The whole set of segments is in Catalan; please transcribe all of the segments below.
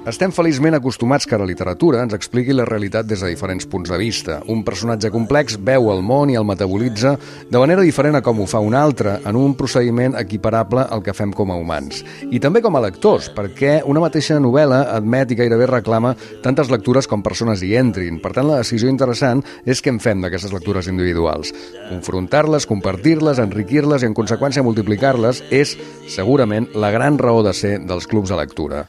Estem feliçment acostumats que la literatura ens expliqui la realitat des de diferents punts de vista. Un personatge complex veu el món i el metabolitza de manera diferent a com ho fa un altre, en un procediment equiparable al que fem com a humans. I també com a lectors, perquè una mateixa novel·la admet i gairebé reclama tantes lectures com persones hi entrin. Per tant, la decisió interessant és què en fem d'aquestes lectures individuals. Confrontar-les, compartir-les, enriquir-les i, en conseqüència, multiplicar-les és, segurament, la gran raó de ser dels clubs de lectura.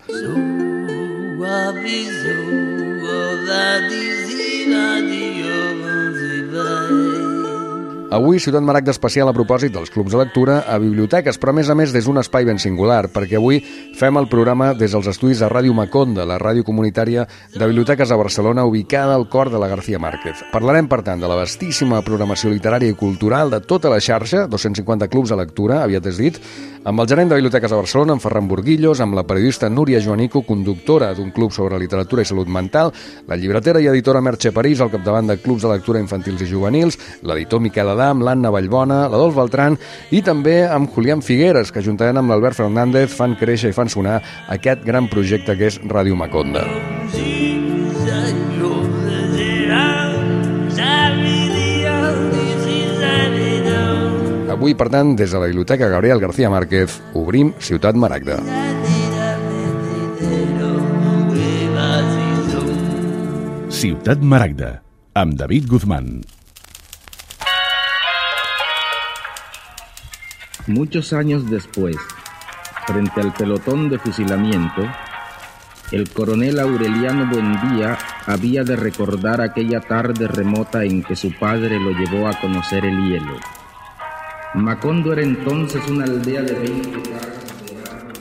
Avui, Ciutat Maragda especial a propòsit dels clubs de lectura a biblioteques, però a més des d'un espai ben singular, perquè avui fem el programa des dels estudis de Ràdio Maconda, la ràdio comunitària de biblioteques a Barcelona, ubicada al cor de la García Márquez. Parlarem, per tant, de la vastíssima programació literària i cultural de tota la xarxa, 250 clubs de lectura, aviat és dit, amb el gerent de biblioteques a Barcelona, en Ferran Burguillos, amb la periodista Núria Joanico, conductora d'un club sobre literatura i salut mental, la llibretera i editora Merche París, al capdavant de clubs de lectura infantils i juvenils, l'editor Miquel Adam, l'Anna Vallbona, l'Adolf Beltran i també amb Julián Figueres, que juntament amb l'Albert Fernández fan créixer i fan sonar aquest gran projecte que és Ràdio Maconda. Avui, per tant, des de la Biblioteca Gabriel García Márquez, obrim Ciutat Maragda. Ciutat Maragda, amb David Guzmán. Muchos años después, frente al pelotón de fusilamiento, el coronel Aureliano Buendía había de recordar aquella tarde remota en que su padre lo llevó a conocer el hielo. Macondo era entonces una aldea de 20 casas de barro.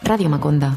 Ràdio Maconda.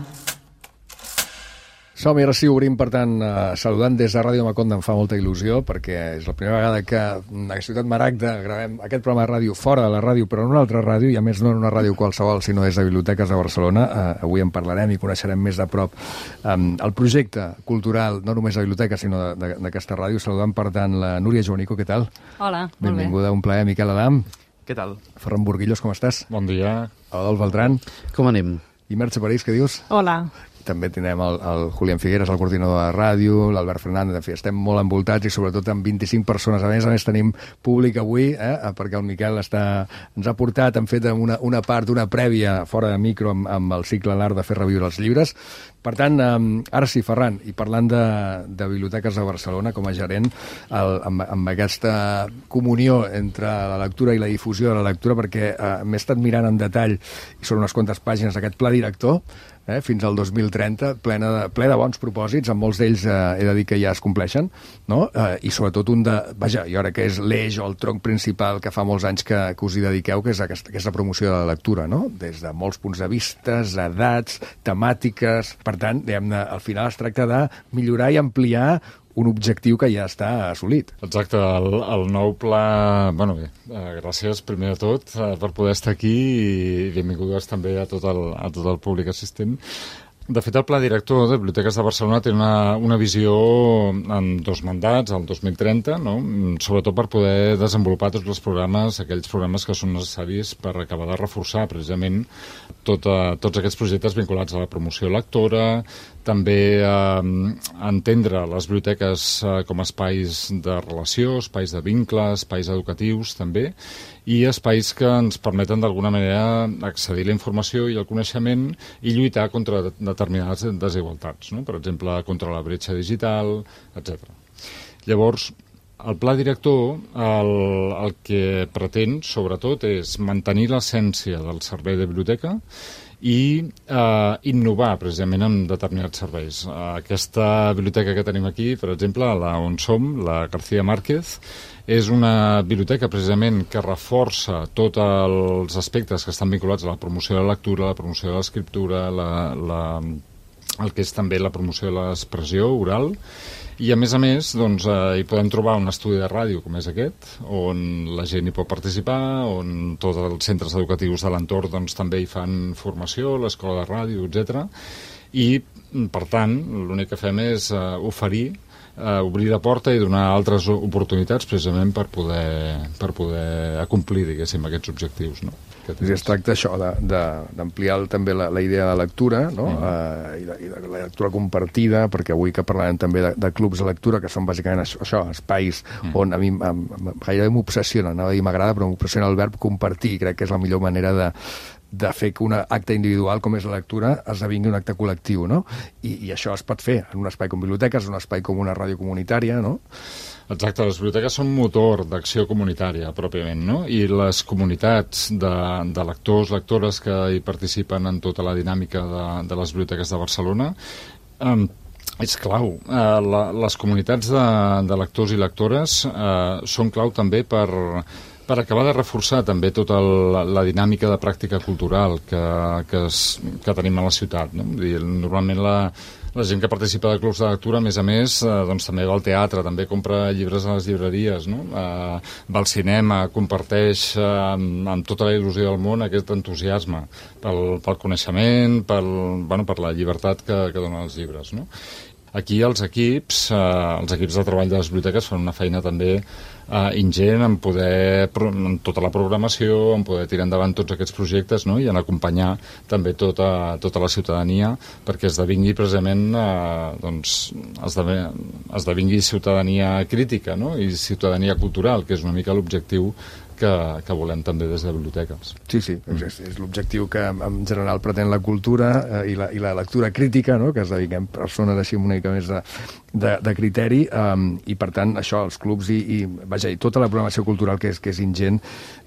Som-hi, ara sí, obrim, per tant, saludant des de Ràdio Maconda. Em fa molta il·lusió, perquè és la primera vegada que a Ciutat Maragda gravem aquest programa de ràdio fora de la ràdio, però en una altra ràdio, i a més no en una ràdio qualsevol, sinó des de Biblioteques de Barcelona. Avui en parlarem i coneixerem més de prop el projecte cultural, no només de biblioteques, sinó d'aquesta ràdio. Saludant, per tant, la Núria Joanico, què tal? Hola, molt bé. Benvinguda, un plaer. Miquel Adam. Què tal? Ferran Burguillos, com estàs? Bon dia. Adolf Beltran. Com anem? I Merche París, què dius? Hola. També tenim el Julián Figueres, el coordinador de ràdio, l'Albert Fernández, en fi, estem molt envoltats i sobretot amb 25 persones. A més tenim públic avui, perquè el Miquel ens ha portat, hem fet una part, una prèvia fora de micro amb el cicle L'Art de fer reviure els llibres. Per tant, ara sí, Ferran, i parlant de Biblioteques de Barcelona com a gerent, amb aquesta comunió entre la lectura i la difusió de la lectura, perquè m'he estat mirant en detall, i són unes quantes pàgines d'aquest pla director, fins al 2030, ple de bons propòsits, amb molts d'ells he de dir que ja es compleixen, no? I sobretot i ara que és l'eix o el tronc principal que fa molts anys que us hi dediqueu, que és aquesta promoció de la lectura, no? Des de molts punts de vista, edats, temàtiques. Per tant, al final es tracta de millorar i ampliar un objectiu que ja està assolit. Exacte, el nou pla... Bé, gràcies primer de tot per poder estar aquí i benvingudes també a tot el públic assistent. De fet, el Pla Director de Biblioteques de Barcelona té una visió en 2 mandats, el 2030, no? Sobretot per poder desenvolupar tots els programes, aquells programes que són necessaris per acabar de reforçar precisament tots aquests projectes vinculats a la promoció lectora, també entendre les biblioteques com a espais de relació, espais de vincle, espais educatius també, i espais que ens permeten d'alguna manera accedir a la informació i al coneixement i lluitar contra determinades desigualtats, no? Per exemple, contra la bretxa digital, etc. Llavors, el pla director el que pretén, sobretot, és mantenir l'essència del servei de biblioteca i innovar precisament en determinats serveis. Aquesta biblioteca que tenim aquí, per exemple, on som, la García Márquez, és una biblioteca precisament que reforça tots els aspectes que estan vinculats a la promoció de la lectura, la promoció de l'escriptura, el que és també la promoció de l'expressió oral, i a més, doncs, hi podem trobar un estudi de ràdio com és aquest, on la gent hi pot participar, on tots els centres educatius de l'entorn doncs, també hi fan formació, l'escola de ràdio, etc. I Per tant, l'únic que fem és oferir, obrir la porta i donar altres oportunitats precisament per poder acomplir, diguéssim, aquests objectius, no? Es tracta això, d'ampliar també la idea de lectura, no? I de la lectura compartida, perquè avui que parlarem també de clubs de lectura, que són bàsicament això, espais on a mi gairebé m'obsessiona, anava a dir m'agrada, però m'obsessiona el verb compartir, crec que és la millor manera de fer que un acte individual com és la lectura esdevingui un acte col·lectiu, no? I això es pot fer en un espai com biblioteques, en un espai com una ràdio comunitària, no? Exacte, les biblioteques són motor d'acció comunitària, pròpiament, no? I les comunitats de lectors, lectores que hi participen en tota la dinàmica de les biblioteques de Barcelona és clau. Les comunitats de lectors i lectores són clau també per acabar de reforçar també tota la dinàmica de pràctica cultural que tenim a la ciutat, no? Normalment la gent que participa de clubs de lectura, a més, doncs també va al teatre, també compra llibres a les llibreries, no? Va al cinema, comparteix amb tota la il·lusió del món aquest entusiasme pel coneixement, per la llibertat que donen els llibres, no? Aquí els equips de treball de les biblioteques fan una feina també ingent en tota la programació, en poder tirar endavant tots aquests projectes, no? I en acompanyar també tota la ciutadania perquè esdevingui precisament esdevingui ciutadania crítica, no? I ciutadania cultural, que és una mica l'objectiu que volem també des de biblioteques. Sí, és l'objectiu que en general pretén la cultura i la lectura crítica, no? Que esdevinguem persones així una mica més de criteri, i per tant això, els clubs i tota la programació cultural que és ingent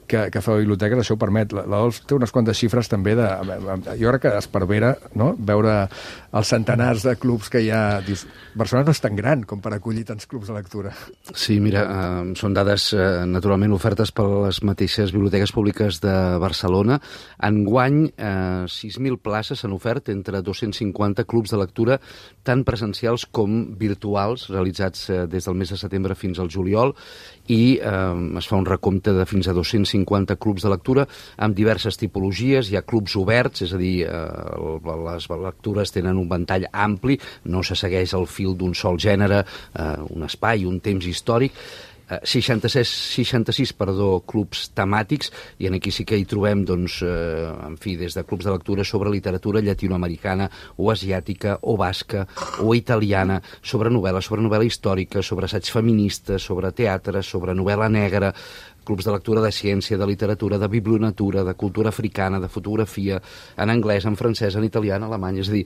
que fa biblioteques, això ho permet. L'Adolf té unes quantes xifres també jo crec que esparvera, no? Veure els centenars de clubs que hi ha. Dius, Barcelona no és tan gran com per acollir tants clubs de lectura. Sí, mira, són dades naturalment ofertes per les mateixes biblioteques públiques de Barcelona. Enguany, 6.000 places s'han ofert entre 250 clubs de lectura, tant presencials com virtuals, realitzats des del mes de setembre fins al juliol, i es fa un recompte de fins a 250 clubs de lectura amb diverses tipologies. Hi ha clubs oberts, és a dir, les lectures tenen un ventall ampli, no se segueix el fil d'un sol gènere, un espai, un temps històric. 66 clubs temàtics, i aquí sí que hi trobem, doncs, en fi, des de clubs de lectura sobre literatura llatinoamericana o asiàtica o basca o italiana, sobre novel·la històrica, sobre assaig feminista, sobre teatre, sobre novel·la negra, clubs de lectura de ciència, de literatura, de biblionatura, de cultura africana, de fotografia, en anglès, en francès, en italià, en alemany. És a dir,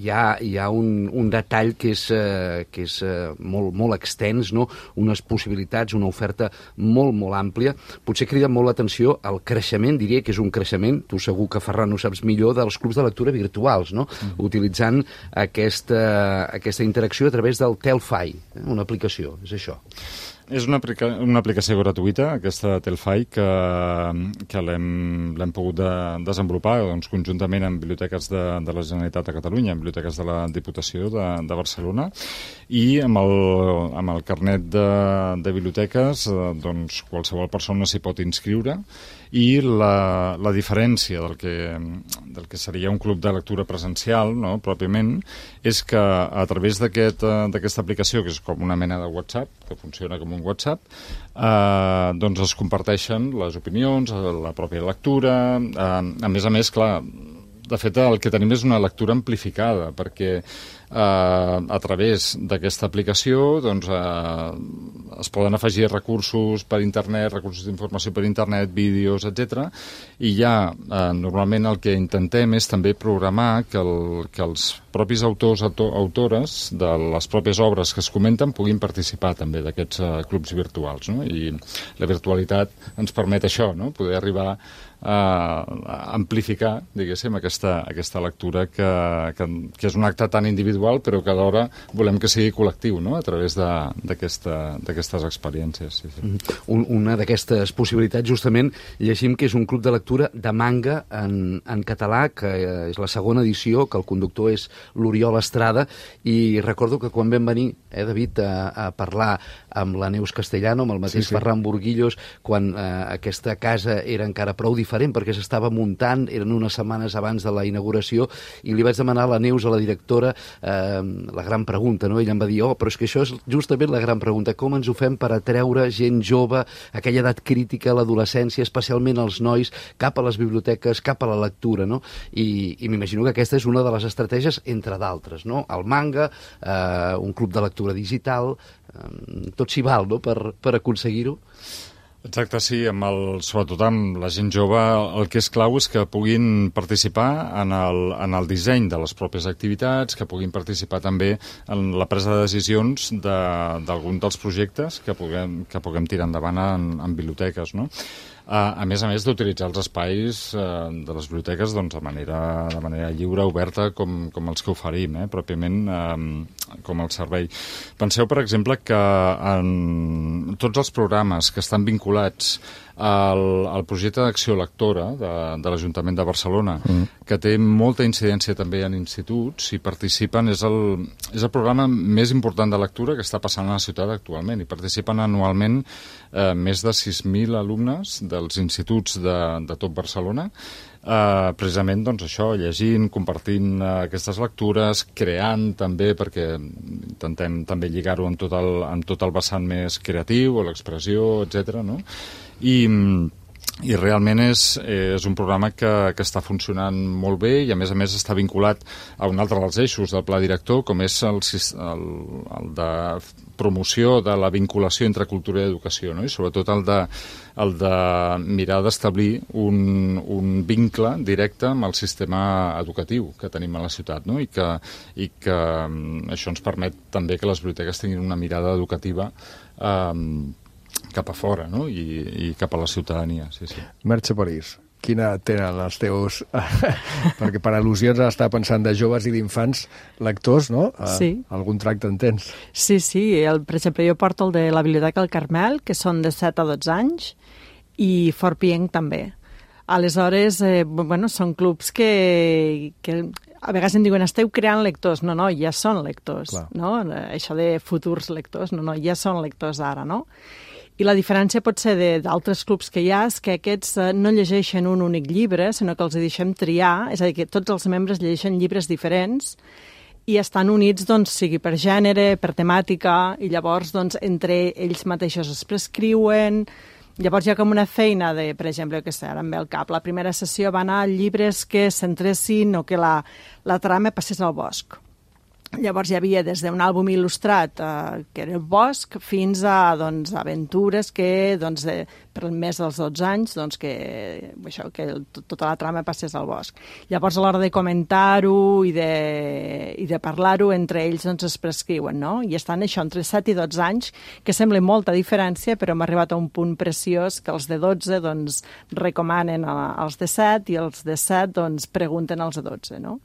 hi ha un detall que és molt extens, no? Unes possibilitats, una oferta molt àmplia. Potser crida molt l'atenció el creixement, diria que és un creixement, tu segur que, Ferran, ho saps millor, dels clubs de lectura virtuals, no? Utilitzant aquesta interacció a través del Telfy, una aplicació, és això. És una aplicació gratuïta, aquesta Telfy, que l'hem pogut desenvolupar doncs, conjuntament amb biblioteques de la Generalitat de Catalunya, amb biblioteques de la Diputació de Barcelona, i amb el carnet de biblioteques doncs, qualsevol persona s'hi pot inscriure, i la diferència del que seria un club de lectura presencial, no, pròpiament, és que a través d'aquesta aplicació, que és com una mena de WhatsApp, que funciona com un WhatsApp, doncs es comparteixen les opinions, la pròpia lectura. A més, clar, de fet, el que tenim és una lectura amplificada, perquè a través d'aquesta aplicació doncs, es poden afegir recursos per internet, recursos d'informació per internet, vídeos, etc. I ja normalment el que intentem és també programar que els propis autors, autores de les pròpies obres que es comenten puguin participar també d'aquests clubs virtuals, no? I la virtualitat ens permet això, no? Poder arribar a amplificar, diguéssim, aquesta lectura que és un acte tan individual individual, però que alhora volem que sigui col·lectiu, no?, a través d'aquestes experiències. Sí, sí. Una d'aquestes possibilitats, justament, llegim que és un club de lectura de manga en català, que és la segona edició, que el conductor és l'Oriol Estrada, i recordo que quan vam venir, David, a parlar amb la Neus Castellano, amb el mateix Ferran Burguillos, quan aquesta casa era encara prou diferent, perquè s'estava muntant, eren unes setmanes abans de la inauguració, i li vaig demanar a la Neus, a la directora, la gran pregunta, no? Ella em va dir, però és que això és justament la gran pregunta, com ens ho fem per atreure gent jove, aquella edat crítica, l'adolescència, especialment els nois, cap a les biblioteques, cap a la lectura, no? I m'imagino que aquesta és una de les estratègies, entre d'altres, no? El manga, un club de lectura digital, tot s'hi val, no?, per aconseguir-ho. Exacte, sí, sobretot amb la gent jove, el que és clau és que puguin participar en el disseny de les pròpies activitats, que puguin participar també en la presa de decisions d'algun dels projectes que puguem tirar endavant en biblioteques, no? A més d'utilitzar els espais de les biblioteques de manera lliure, oberta, com els que oferim, pròpiament com el servei. Penseu, per exemple, que en tots els programes que estan vinculats al projecte d'acció lectora de l'Ajuntament de Barcelona, que té molta incidència també en instituts, i participen, és el programa més important de lectura que està passant a la ciutat actualment, i participen anualment més de 6.000 alumnes dels instituts de tot Barcelona, precisament doncs això, llegint, compartint aquestes lectures, creant també, perquè intentem també lligar-ho amb tot el vessant més creatiu o l'expressió, etc., no? I realment és un programa que està funcionant molt bé, i a més està vinculat a un altre dels eixos del pla director, com és el de promoció de la vinculació entre cultura i educació, no? I sobretot el de mirar d'establir un vincle directe amb el sistema educatiu que tenim a la ciutat, no? I que això ens permet també que les biblioteques tinguin una mirada educativa cap a fora, no? I cap a la ciutadania, sí. Merche París, quina tenen els teus... perquè per al·lusions està pensant de joves i d'infants lectors, no? Sí. Algun tracte en tens? Sí. Per exemple, jo porto el de la Biblioteca del Carmel, que són de 7 a 12 anys, i Fort Pienc també. Aleshores, són clubs que a vegades em diuen, esteu creant lectors. No, ja són lectors, no? Això de futurs lectors, no, ja són lectors ara, no? I la diferència pot ser d'altres clubs que hi ha és que aquests no llegeixen un únic llibre, sinó que els deixem triar, és a dir, que tots els membres llegeixen llibres diferents i estan units, doncs, sigui per gènere, per temàtica, i llavors, doncs, entre ells mateixos es prescriuen. Llavors hi ha com una feina de, per exemple, que ara em ve al cap, la primera sessió va anar a llibres que centressin o que la trama passés al bosc. Llavors hi havia des d'un àlbum il·lustrat, que era el bosc, fins a aventures que per més dels 12 anys que tota la trama passés al bosc. Llavors a l'hora de comentar-ho i de parlar-ho entre ells es prescriuen, no? I estan això entre 7 i 12 anys, que sembla molta diferència, però hem arribat a un punt preciós que els de 12 recomanen als de 7 i els de 7 pregunten als de 12, no?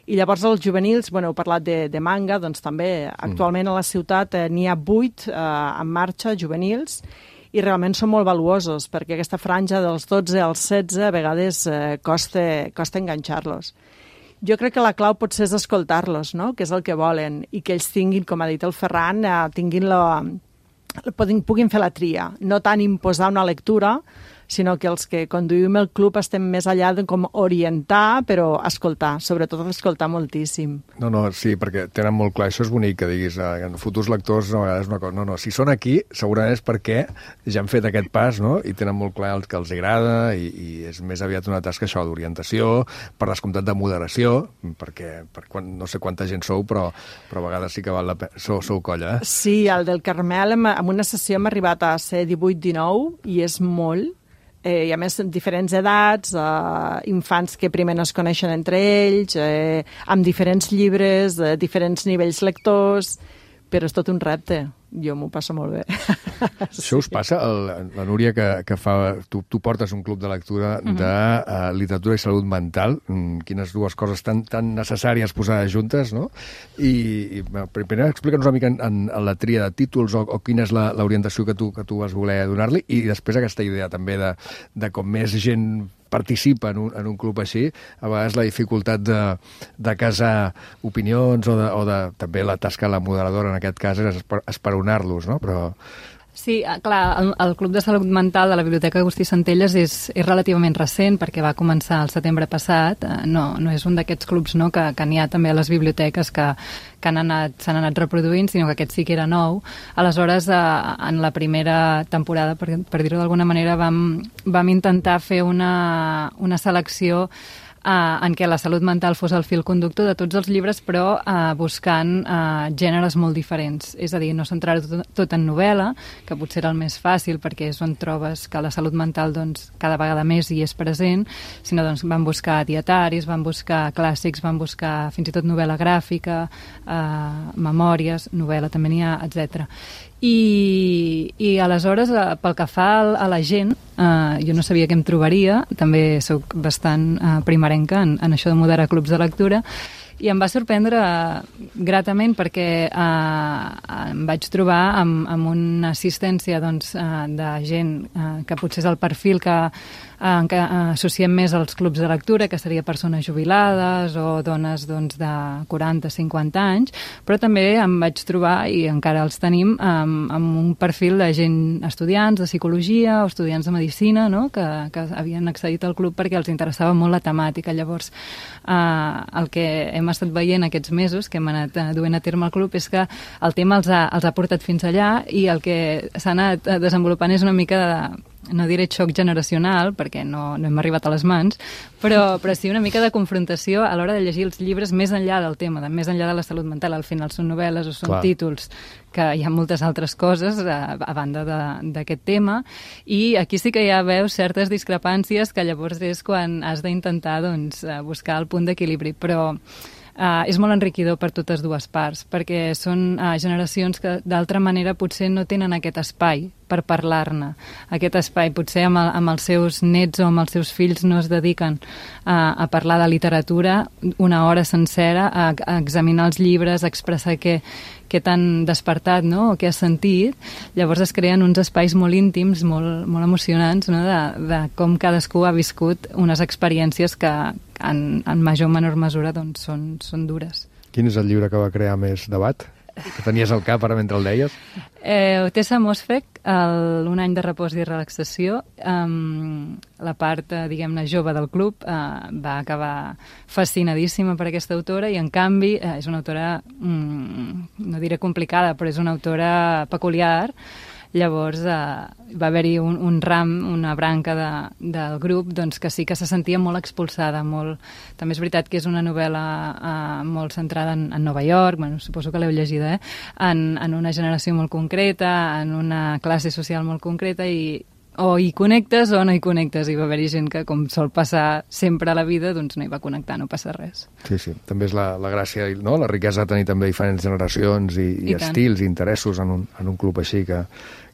I llavors els juvenils, heu parlat de manga, doncs també actualment a la ciutat n'hi ha 8 en marxa, juvenils, i realment són molt valuosos, perquè aquesta franja dels 12 als 16 a vegades costa enganxar-los. Jo crec que la clau potser és escoltar-los, no?, que és el que volen, i que ells tinguin, com ha dit el Ferran, puguin fer la tria, no tant imposar una lectura, sinó que els que conduïm el club estem més allà de com orientar, però escoltar, sobretot escoltar moltíssim. No, sí, perquè tenen molt clar, això és bonic que diguis, futurs lectors no, és una cosa, no, si són aquí segurament és perquè ja han fet aquest pas, no?, i tenen molt clar el que els agrada, i és més aviat una tasca això d'orientació, per descomptat de moderació, perquè no sé quanta gent sou, però a vegades sí que val la pena, sou colla, Sí, el del Carmel, en una sessió hem arribat a ser 18-19, i és molt, i a més diferents edats, infants que primer no es coneixen entre ells, amb diferents llibres, diferents nivells lectors, però és tot un repte. jo m'ho passo molt bé. Això us passa? La Núria, que fa... Tu portes un club de lectura de literatura i salut mental, quines dues coses tan necessàries posades juntes, no? I primer explica'ns una mica en la tria de títols o quina és l'orientació que tu vas voler donar-li, i després aquesta idea també de com més gent participa en un club així, a vegades la dificultat de casar opinions o de també la tasca de la moderadora en aquest cas és esperonar-los, no? Però... Sí, clar, el Club de Salut Mental de la Biblioteca Agustí Centelles és relativament recent perquè va començar el setembre passat. No és un d'aquests clubs, no, que n'hi ha també a les biblioteques que s'han anat reproduint, sinó que aquest sí que era nou. Aleshores, en la primera temporada, per dir-ho d'alguna manera, vam intentar fer una selecció en què la salut mental fos el fil conductor de tots els llibres, però buscant gèneres molt diferents. És a dir, no centrar-ho tot en novel·la, que potser era el més fàcil perquè és on trobes que la salut mental doncs, cada vegada més hi és present, sinó doncs, van buscar dietaris, van buscar clàssics, van buscar fins i tot novel·la gràfica, memòries, novel·la també n'hi ha, etc. I aleshores, pel que fa a la gent, jo no sabia què em trobaria, també sóc bastant primerenca en això de moderar clubs de lectura, i em va sorprendre gratament perquè em vaig trobar amb una assistència doncs, de gent que potser és el perfil que associem més als clubs de lectura, que seria persones jubilades o dones doncs, de 40-50 anys, però també em vaig trobar, i encara els tenim, amb un perfil de gent estudiants de psicologia o estudiants de medicina, no? que havien accedit al club perquè els interessava molt la temàtica. Llavors, el que hem estat veient aquests mesos, que hem anat duent a terme al club, és que el tema els ha portat fins allà, i el que s'ha anat desenvolupant és una mica no diré xoc generacional, perquè no hem arribat a les mans, però sí una mica de confrontació a l'hora de llegir els llibres més enllà del tema, més enllà de la salut mental. Al final són novel·les o són títols, que hi ha moltes altres coses a banda d'aquest tema, i aquí sí que ja veus certes discrepàncies que llavors és quan has d'intentar doncs, buscar el punt d'equilibri, però és molt enriquidor per totes dues parts, perquè són generacions que d'altra manera potser no tenen aquest espai per parlar-ne. Aquest espai, potser amb els seus nets o amb els seus fills no es dediquen a parlar de literatura una hora sencera, a examinar els llibres, a expressar què t'han despertat, no? O què has sentit. Llavors es creen uns espais molt íntims, molt emocionants, no? de com cadascú ha viscut unes experiències que en major o menor mesura doncs, són dures. Quin és el llibre que va crear més debat? Que tenies al cap ara mentre el deies? Tessa Mosfeq, Un any de repòs i relaxació. La part, diguem-ne, jove del club va acabar fascinadíssima per aquesta autora, i en canvi és una autora, no diré complicada, però és una autora peculiar. Llavors va haver-hi un ram, una branca del grup doncs, que sí que se sentia molt expulsada. També és veritat que és una novel·la molt centrada en Nova York, bueno, suposo que l'heu llegida, en una generació molt concreta, en una classe social molt concreta, i o hi connectes o no hi connectes. I va haver-hi gent que, com sol passar sempre a la vida, doncs no hi va connectar, no passa res. Sí. També és la gràcia, no? La riquesa de tenir també diferents generacions i estils i interessos en un club així, que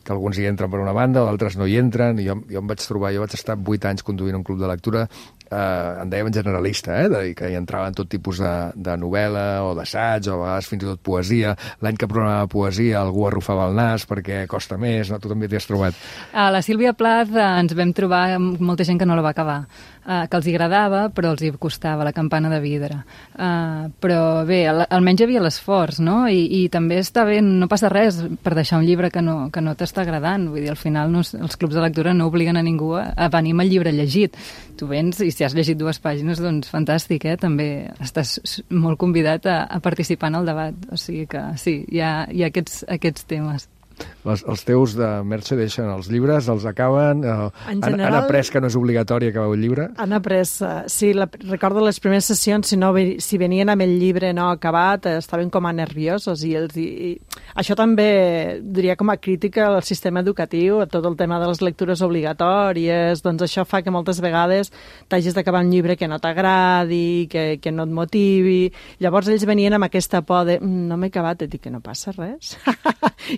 alguns hi entren per una banda o d'altres no hi entren. Jo em vaig trobar, jo vaig estar 8 anys conduint un club de lectura, en dèiem generalista, que hi entraven tot tipus de novel·la o d'assaig, o a vegades fins i tot poesia. L'any que programava poesia algú arrufava el nas perquè costa més, no? Tu també t'hi has trobat. A la Sílvia Plath ens vam trobar molta gent que no la va acabar, que els agradava però els hi costava, La campana de vidre. Però bé, almenys hi havia l'esforç, no? I també està bé, no passa res per deixar un llibre que no t'està agradant. Vull dir, al final els clubs de lectura no obliguen a ningú a venir amb el llibre llegit. Tu vens i si has llegit 2 pàgines, doncs fantàstic, també estàs molt convidat a participar en el debat. O sigui que sí, hi ha aquests temes. els teus de Merche deixen els llibres, els acaben, han après que no és obligatori acabar un llibre? Han après, sí, recordo les primeres sessions, si venien amb el llibre no acabat, estaven com a nerviosos i això també diria com a crítica al sistema educatiu, a tot el tema de les lectures obligatòries, doncs això fa que moltes vegades t'hagis d'acabar un llibre que no t'agradi, que no et motivi. Llavors ells venien amb aquesta por de no m'he acabat, et dic que no passa res.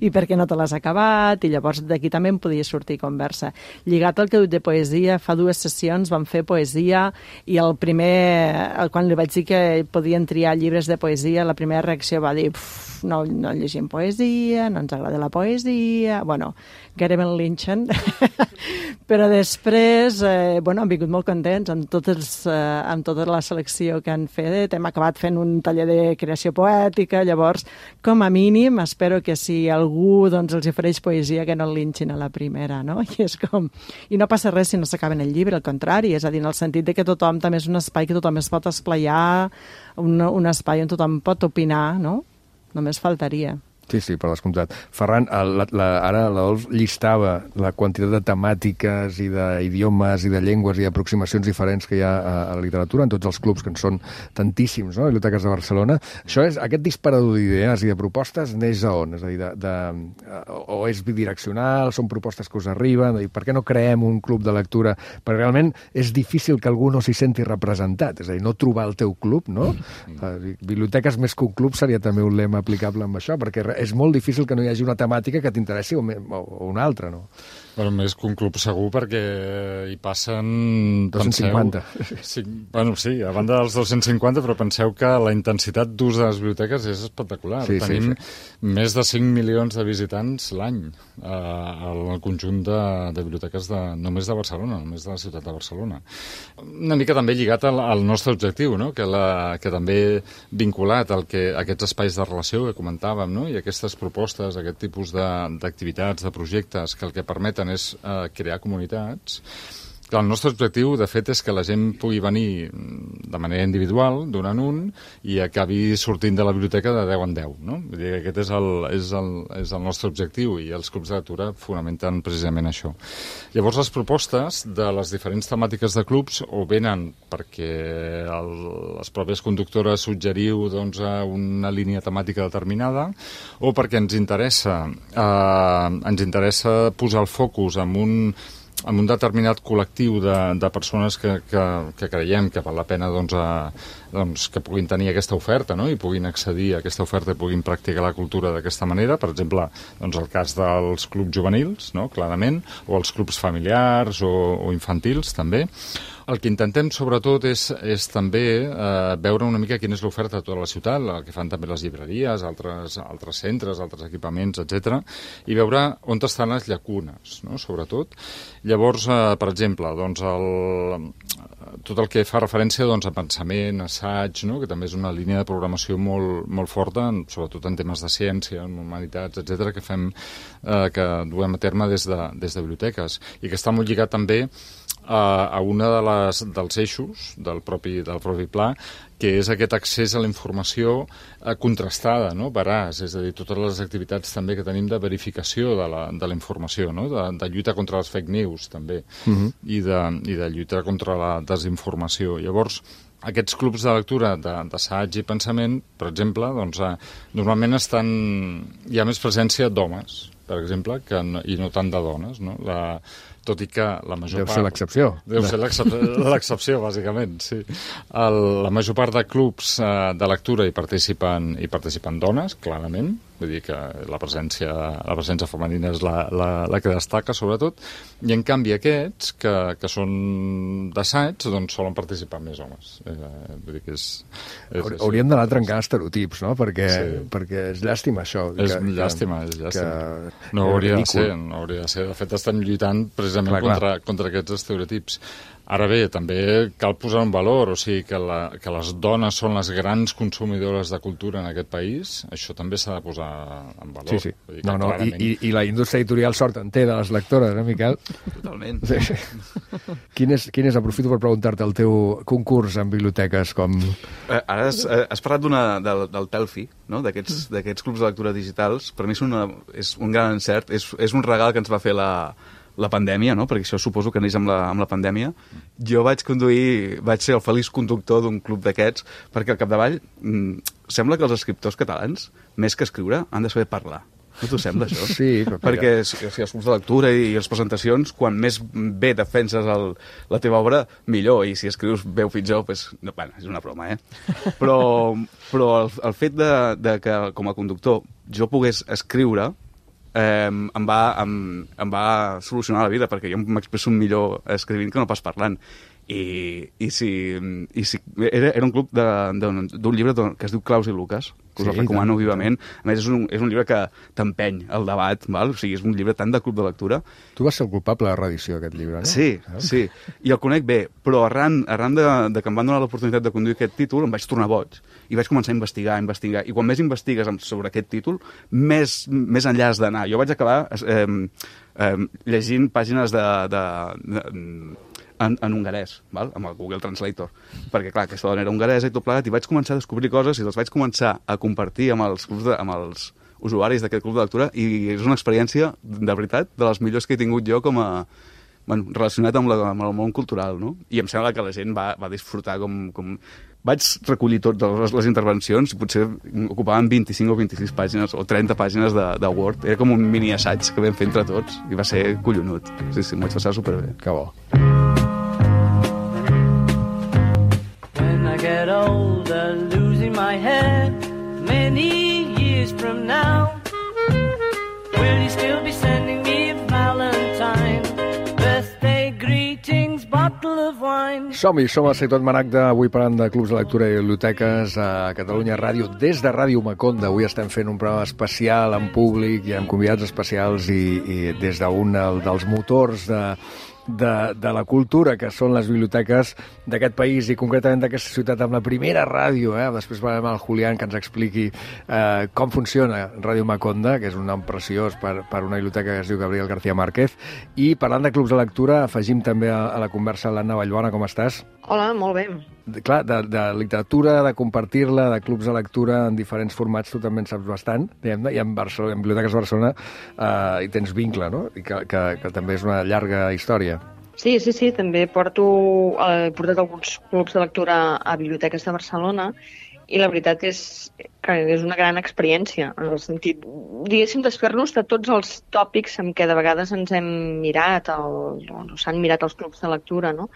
I per què no te l'has acabat? I llavors d'aquí també em podia sortir conversa. Lligat al que he dit de poesia, fa 2 sessions vam fer poesia i quan li vaig dir que podien triar llibres de poesia, la primera reacció va dir no llegim poesia, no ens agrada la poesia, bueno, gairebé en linxen. Però després, han vingut molt contents amb tota la selecció que han fet. Hem acabat fent un taller de creació poètica, llavors, com a mínim, espero que si algú els ofereix poesia que no el linxin a la primera, no? I no passa res si no s'acaben el llibre, al contrari, és a dir, en el sentit de que tothom també és un espai que tothom es pot esplaiar, un espai on tothom pot opinar, no? Només faltaria. Sí, per descomptat. Ferran, ara l'Adolf llistava la quantitat de temàtiques i d'idiomes i de llengües i d'aproximacions diferents que hi ha a la literatura, en tots els clubs, que en són tantíssims, no?, biblioteques de Barcelona. Aquest disparador d'idees i de propostes neix a on? És a dir, o és bidireccional, són propostes que us arriben, per què no creem un club de lectura? Perquè realment és difícil que algú no s'hi senti representat, és a dir, no trobar el teu club, no? Biblioteques més que un club seria també un lema aplicable amb això, perquè és molt difícil que no hi hagi una temàtica que t'interessi o una altra, no? Bueno, més que un club segur, perquè hi passen... 250. Sí, a banda dels 250, però penseu que la intensitat d'ús de les biblioteques és espectacular. Tenim més de 5 milions de visitants l'any al conjunt de biblioteques només de Barcelona, només de la ciutat de Barcelona. Una mica també lligat al nostre objectiu, no?, que també vinculat a aquests espais de relació que comentàvem, no?, i aquestes propostes, aquest tipus d'activitats, de projectes, que el que permeten és crear comunitats. El nostre objectiu, de fet, és que la gent pugui venir de manera individual, d'un en un, i acabi sortint de la biblioteca de 10 en 10, no? Vull dir que aquest és el nostre objectiu, i els clubs de lectura fonamenten precisament això. Llavors, les propostes de les diferents temàtiques de clubs o venen perquè les pròpies conductores suggeriu una línia temàtica determinada, o perquè ens interessa posar el focus en un determinat col·lectiu de persones que creiem que val la pena que puguin tenir aquesta oferta, no?, i puguin accedir a aquesta oferta i puguin practicar la cultura d'aquesta manera. Per exemple, el cas dels clubs juvenils, no?, clarament, o els clubs familiars o infantils, també. El que intentem, sobretot, és també veure una mica quina és l'oferta de tota la ciutat, el que fan també les llibreries, altres centres, altres equipaments, etc., i veure on estan les llacunes, no?, sobretot. Llavors, per exemple, tot el que fa referència a pensament, assaig, no?, que també és una línia de programació molt forta, sobretot en temes de ciència, en humanitats, etc., que duem a terme des de biblioteques, i que està molt lligat també a una dels eixos del propi pla, que és aquest accés a la informació contrastada, no?, veraç, és a dir, totes les activitats també que tenim de verificació de la informació, no?, de lluita contra les fake news, també, i de lluita contra la desinformació. Llavors, aquests clubs de lectura d'assaig i pensament, per exemple, normalment hi ha més presència d'homes, per exemple, i no tant de dones, no? Tot i que la major part... Deu ser l'excepció. Deu ser l'excepció, bàsicament, sí. La major part de clubs de lectura hi participen dones, clarament. Vull dir que la presència femenina és la que destaca, sobretot. I, en canvi, aquests, que són d'assaig, solen participar més homes. Vull dir que hauríem d'anar trencant estereotips, no?, perquè és llàstima, això. És llàstima. No hauria de ser. De fet, estem lluitant precisament contra aquests estereotips. Ara bé, també cal posar un valor, o sigui, que les dones són les grans consumidores de cultura en aquest país, això també s'ha de posar en valor. Sí. Vull dir que No, clarament... I la indústria editorial sort en té de les lectores, Miquel? Totalment. Sí. Quin és, aprofito per preguntar-te, el teu concurs en biblioteques? Ara has parlat del Telfi, no? d'aquests clubs de lectura digitals. Per mi és un gran encert, és un regal que ens va fer la pandèmia, no? Perquè això suposo que neix amb la pandèmia. Jo vaig ser el feliç conductor d'un club d'aquests, perquè al capdavall sembla que els escriptors catalans, més que escriure, han de saber parlar. No t'ho sembla, això? Sí, perquè els clubs de lectura i les presentacions, quan més bé defenses la teva obra, millor, i si escrius bé o pitjor, doncs, bueno, és una broma, Però el fet de que, com a conductor, jo pogués escriure, em va solucionar la vida, perquè jo m'expresso millor escrivint que no pas parlant. I si era un club d'un llibre que es diu Claus i Lucas, que us el recomano vivament. A més, és un llibre que t'empeny el debat, val? O sigui, és un llibre tant de club de lectura. Tu vas ser el culpable de la reedició d'aquest llibre, no? Sí. I el conec bé, però arran de que em van donar l'oportunitat de conduir aquest títol, em vaig tornar boig. I vaig començar a investigar. I quan més investigues sobre aquest títol, més enllà has d'anar. Jo vaig acabar llegint pàgines en hongarès, val? Amb el Google Translator, perquè clar, aquesta dona era hongaresa i tot plegat, i vaig començar a descobrir coses i les vaig començar a compartir amb els usuaris d'aquest club de lectura, i és una experiència, de veritat, de les millors que he tingut jo com a relacionat amb el món cultural, no? I em sembla que la gent va disfrutar com... Vaig recollir totes les intervencions i potser ocupaven 25 o 26 pàgines o 30 pàgines de Word. Era com un mini assaig que vam fer entre tots i va ser collonut. Sí, m'ho vaig passar superbé. Que bo. When I get older, losing my head, many years from now, will you still be sending me a Valentine? Birthday greetings, bottle of wine. Som a Ciutat Maragda, avui parlant de clubs de lectura i biblioteques a Catalunya Ràdio, des de Ràdio Maconda. Avui estem fent un programa especial en públic i amb convidats especials i des d'un dels motors de la cultura, que són les biblioteques d'aquest país i concretament d'aquesta ciutat, amb la primera ràdio. Després parlarem amb el Julián, que ens expliqui com funciona Ràdio Maconda, que és un nom preciós per una biblioteca que es diu Gabriel García Márquez. I parlant de clubs de lectura, afegim també a la conversa l'Anna Vallbona. Com estàs? Hola, molt bé. Clar, de literatura, de compartir-la, de clubs de lectura en diferents formats, tu també en saps bastant, diguem-ne, i en Biblioteques de Barcelona hi tens vincle, no? I que també és una llarga història. Sí, també he portat alguns clubs de lectura a Biblioteques de Barcelona, i la veritat és que és una gran experiència, en el sentit, diguéssim, desfer-nos de tots els tòpics amb què de vegades ens hem mirat, s'han mirat els clubs de lectura, no?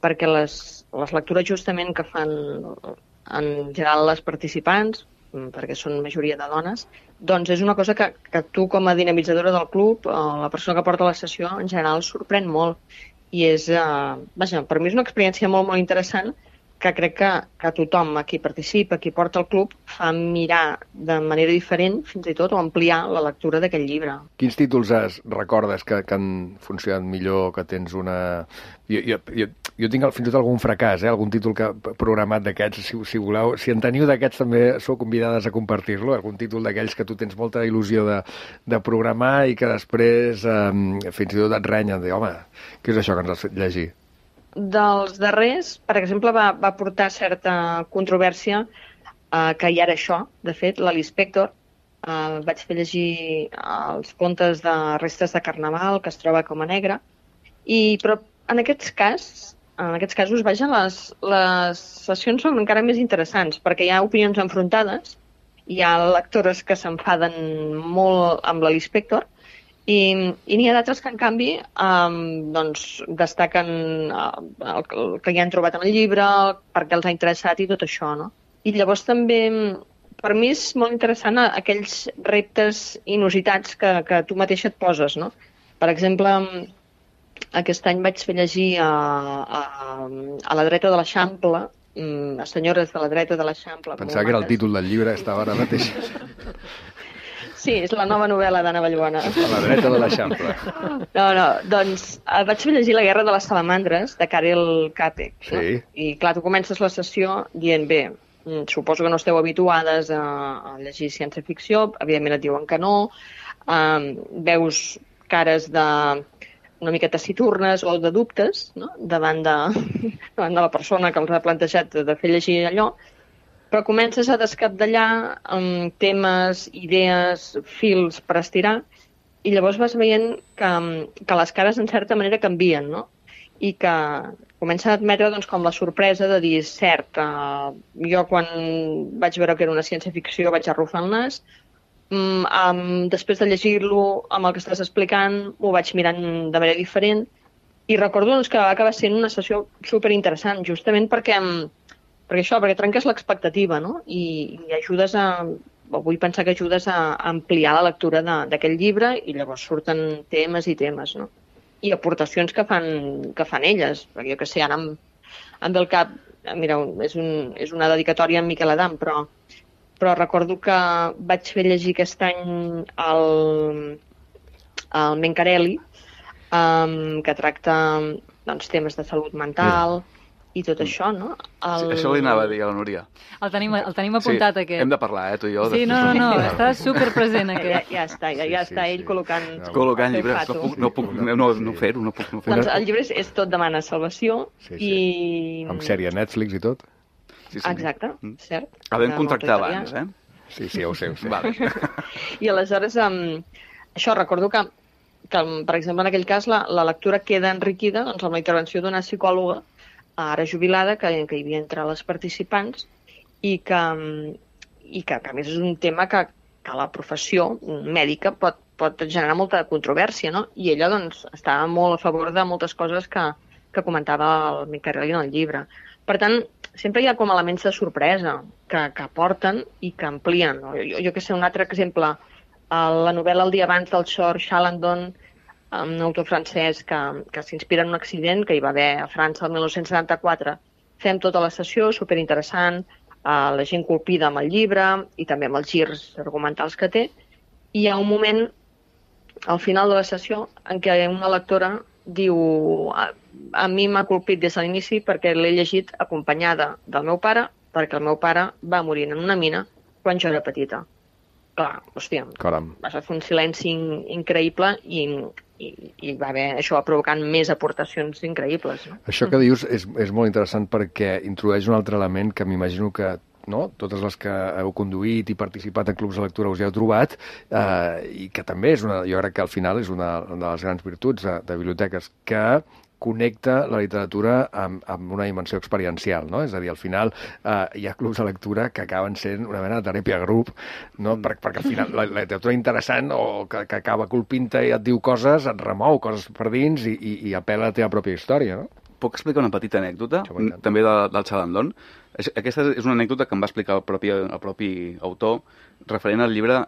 Perquè les lectures justament que fan en general les participants, perquè són majoria de dones, doncs és una cosa que tu com a dinamitzadora del club, la persona que porta la sessió, en general sorprèn molt. I és, per mi és una experiència molt, molt interessant, que crec que tothom a qui participa, a qui porta el club, fa mirar de manera diferent, fins i tot, o ampliar la lectura d'aquest llibre. Quins títols recordes que han funcionat millor, que tens una... Jo tinc fins i tot algun fracàs, algun títol programat d'aquests, si voleu. Si en teniu d'aquests també sou convidades a compartir-lo, algun títol d'aquells que tu tens molta il·lusió de programar i que després fins i tot et renyen, de home, què és això que ens has fet llegir? Dels darrers, per exemple, va portar certa controvèrsia que hi ha ara això, de fet, l'Alice Spector. Vaig fer llegir els contes de Restes de Carnaval, que es troba com a negre, però en aquests casos, les sessions són encara més interessants, perquè hi ha opinions enfrontades, hi ha lectores que s'enfaden molt amb l'Alice Spector, i n'hi ha d'altres que, en canvi, destaquen el que hi han trobat en el llibre, per què els ha interessat i tot això, no? I llavors també, per mi és molt interessant aquells reptes inusitats que tu mateixa et poses, no? Per exemple, aquest any vaig fer llegir a la dreta de l'Eixample, a senyores de la dreta de l'Eixample. Pensava que era el títol del llibre, estava ara mateix. Sí, és la nova novel·la d'Anna Vallbona. A la dreta de l'Eixample. No, doncs vaig llegir La guerra de les salamandres, de Karel Capek. Sí. No? I clar, tu comences la sessió dient, bé, suposo que no esteu habituades a llegir ciència-ficció, evidentment et diuen que no, veus cares una mica taciturnes o de dubtes, no? davant de la persona que els ha plantejat de fer llegir allò, però comences a descapdallar amb temes, idees, fils per estirar, i llavors vas veient que les cares en certa manera canvien, no? I que comença a admetre doncs, com la sorpresa de dir, cert, jo quan vaig veure que era una ciència-ficció vaig arrufar el nas, després de llegir-lo amb el que estàs explicant ho vaig mirant de manera diferent, i recordo doncs, que va acabar sent una sessió superinteressant, justament perquè trenques l'expectativa, no? I ajudes vull pensar que ajudes a ampliar la lectura d'aquest llibre, i llavors surten temes i temes, no? I aportacions que fan elles, perquè jo que sé, ara em ve al cap, mira, és una dedicatòria a en Miquel Adam, però recordo que vaig fer llegir aquest any el Mencarelli, que tracta doncs, temes de salut mental i tot això, no? Sí, això li anava a dir a la Núria. El tenim apuntat, sí, aquest. Hem de parlar, tu i jo. Sí, no, està superpresent, aquest. Ja està ell col·locant llibres, no puc fer-ho, no puc fer-ho. Doncs el llibre és tot demana salvació, i... Amb sèrie Netflix i tot. Sí. Exacte, cert. Havent contractar abans, Sí, ja ho sé. Vale. I aleshores, això, recordo que, per exemple, en aquell cas, la lectura queda enriquida doncs, amb la intervenció d'una psicòloga ara jubilada, que hi havia entre les participants, i que a més és un tema que la professió mèdica pot generar molta controvèrsia, no? I ella doncs, estava molt a favor de moltes coses que comentava el Mencarelli en el llibre. Per tant, sempre hi ha com elements de sorpresa que aporten i que amplien. No? Jo que sé, un altre exemple, la novel·la El dia abans del George Chalandon, un autor francès que s'inspira en un accident que hi va haver a França el 1974. Fem tota la sessió, superinteressant, la gent colpida amb el llibre i també amb els girs argumentals que té. I hi ha un moment, al final de la sessió, en què una lectora diu a mi m'ha colpit des de l'inici perquè l'he llegit acompanyada del meu pare, perquè el meu pare va morir en una mina quan jo era petita. Clar, hòstia, va fer un silenci increïble i va haver això provocant més aportacions increïbles. No? Això que dius és molt interessant perquè introdueix un altre element que m'imagino que totes les que heu conduït i participat en clubs de lectura us hi heu trobat, i que també jo crec que al final és una de les grans virtuts de biblioteques, que connecta la literatura amb una dimensió experiencial, no? És a dir, al final hi ha clubs de lectura que acaben sent una mena de teràpia grup, no? Perquè al final la literatura interessant o que acaba colpint-te i et diu coses, et remou coses per dins i apel·la a la teva pròpia història, no? Puc explicar una petita anècdota, també del Chalandon? Aquesta és una anècdota que em va explicar el propi autor referent al llibre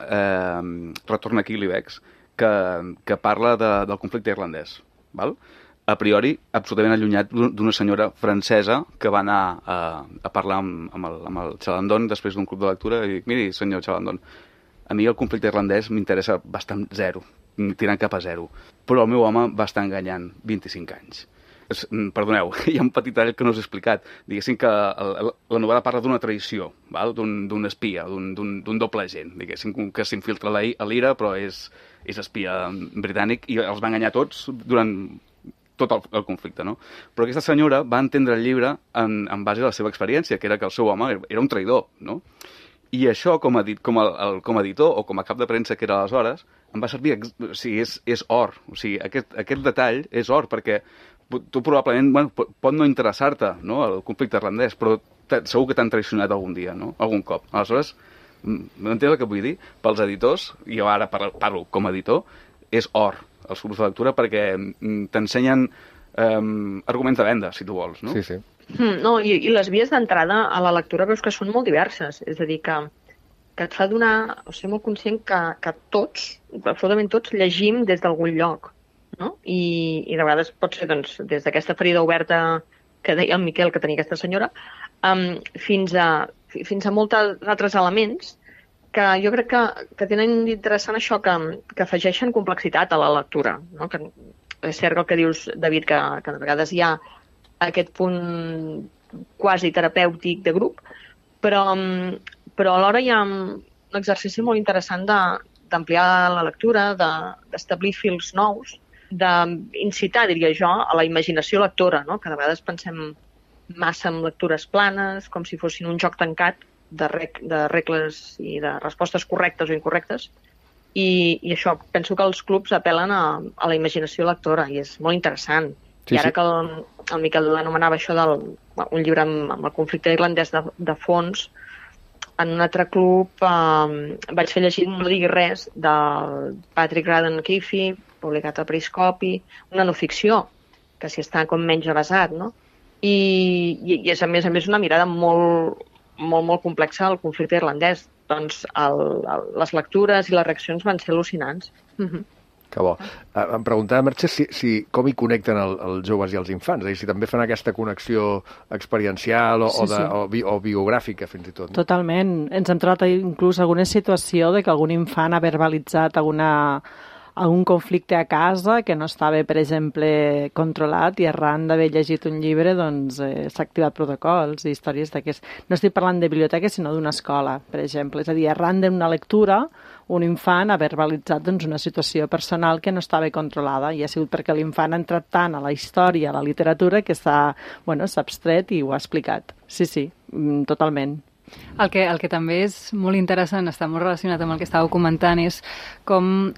Retorn a Quilibex, que parla del conflicte irlandès, val? A priori, absolutament allunyat d'una senyora francesa que va anar a parlar amb el Chalandon després d'un club de lectura i dic, miri, senyor Chalandon, a mi el conflicte irlandès m'interessa bastant zero, tirant cap a zero, però el meu home va estar enganyant 25 anys. Perdoneu, hi ha un petit detall que no us he explicat. Diguéssim que la novel·la parla d'una traïció, d'un espia, d'un doble agent, diguéssim, que s'infiltra a l'IRA, però és espia britànic i els va enganyar tots durant tot el conflicte, no? Però aquesta senyora va entendre el llibre en base a la seva experiència, que era que el seu home era un traïdor, no? I això, com a editor o com a cap de premsa que era aleshores, em va servir, o sigui, és or. O sigui, aquest detall és or, perquè tu probablement, pot no interessar-te, no?, el conflicte irlandès, però segur que t'han traicionat algun dia, no?, algun cop. Aleshores, m'entens el que vull dir? Pels editors, i jo ara parlo com a editor, és or, els grups de lectura, perquè t'ensenyen arguments de venda, si tu vols, no? Sí, sí. No, i les vies d'entrada a la lectura veus que són molt diverses, és a dir, que et fa donar, o ser molt conscient que tots, absolutament tots, llegim des d'algun lloc, no? I de vegades pot ser doncs, des d'aquesta ferida oberta que deia el Miquel que tenia aquesta senyora, fins a molts altres elements que jo crec que tenen d'interessant això, que afegeixen complexitat a la lectura, no? Que és cert el que dius, David, que de vegades hi ha aquest punt quasi terapèutic de grup, però alhora hi ha un exercici molt interessant d'ampliar la lectura, d'establir fils nous, d'incitar, diria jo, a la imaginació lectora, no? Que de vegades pensem massa en lectures planes, com si fossin un joc tancat de regles i de respostes correctes o incorrectes, i això, penso que els clubs apel·len a la imaginació lectora, i és molt interessant. I ara que el Miquel anomenava això un llibre amb el conflicte irlandès de fons, en un altre club vaig fer llegir No diguis res, del Patrick Radden Keefe, publicat a Periscopi, una no ficció, que s'hi està com menys avasat, no? I és, a més, una mirada molt, molt, molt complexa al conflicte irlandès. Doncs les lectures i les reaccions van ser al·lucinants. Que bo. Em preguntava, Merche, com hi connecten els joves i els infants, és a dir, si també fan aquesta connexió experiencial o biogràfica, fins i tot. No? Totalment. Ens hem trobat inclús alguna situació de que algun infant ha verbalitzat algun conflicte a casa que no estava, per exemple, controlat, i arran d'haver llegit un llibre doncs s'ha activat protocols i històries d'aquests. No estic parlant de biblioteques, sinó d'una escola, per exemple. És a dir, arran d'una lectura, un infant ha verbalitzat una situació personal que no estava controlada, i ha sigut perquè l'infant ha entrat tant a la història, a la literatura, que s'ha abstret i ho ha explicat. Sí, totalment. El que també és molt interessant, està molt relacionat amb el que estàveu comentant, és com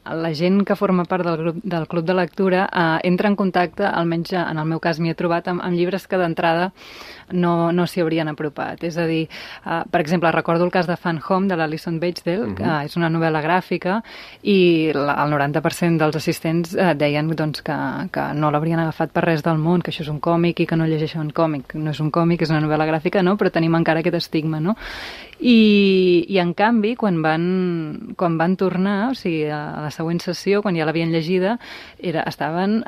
la gent que forma part del club de lectura entra en contacte, almenys en el meu cas m'hi he trobat, amb llibres que d'entrada no s'hi haurien apropat. És a dir, per exemple, recordo el cas de Fan Home, de l'Alison Bechdel, que és una novel·la gràfica, i el 90% dels assistents deien doncs, que no l'haurien agafat per res del món, que això és un còmic i que no llegeixen un còmic. No és un còmic, és una novel·la gràfica, no? Però tenim encara aquest estigma, no? I en canvi, quan van tornar, o sigui, a la següent sessió, quan ja l'havien llegida, estaven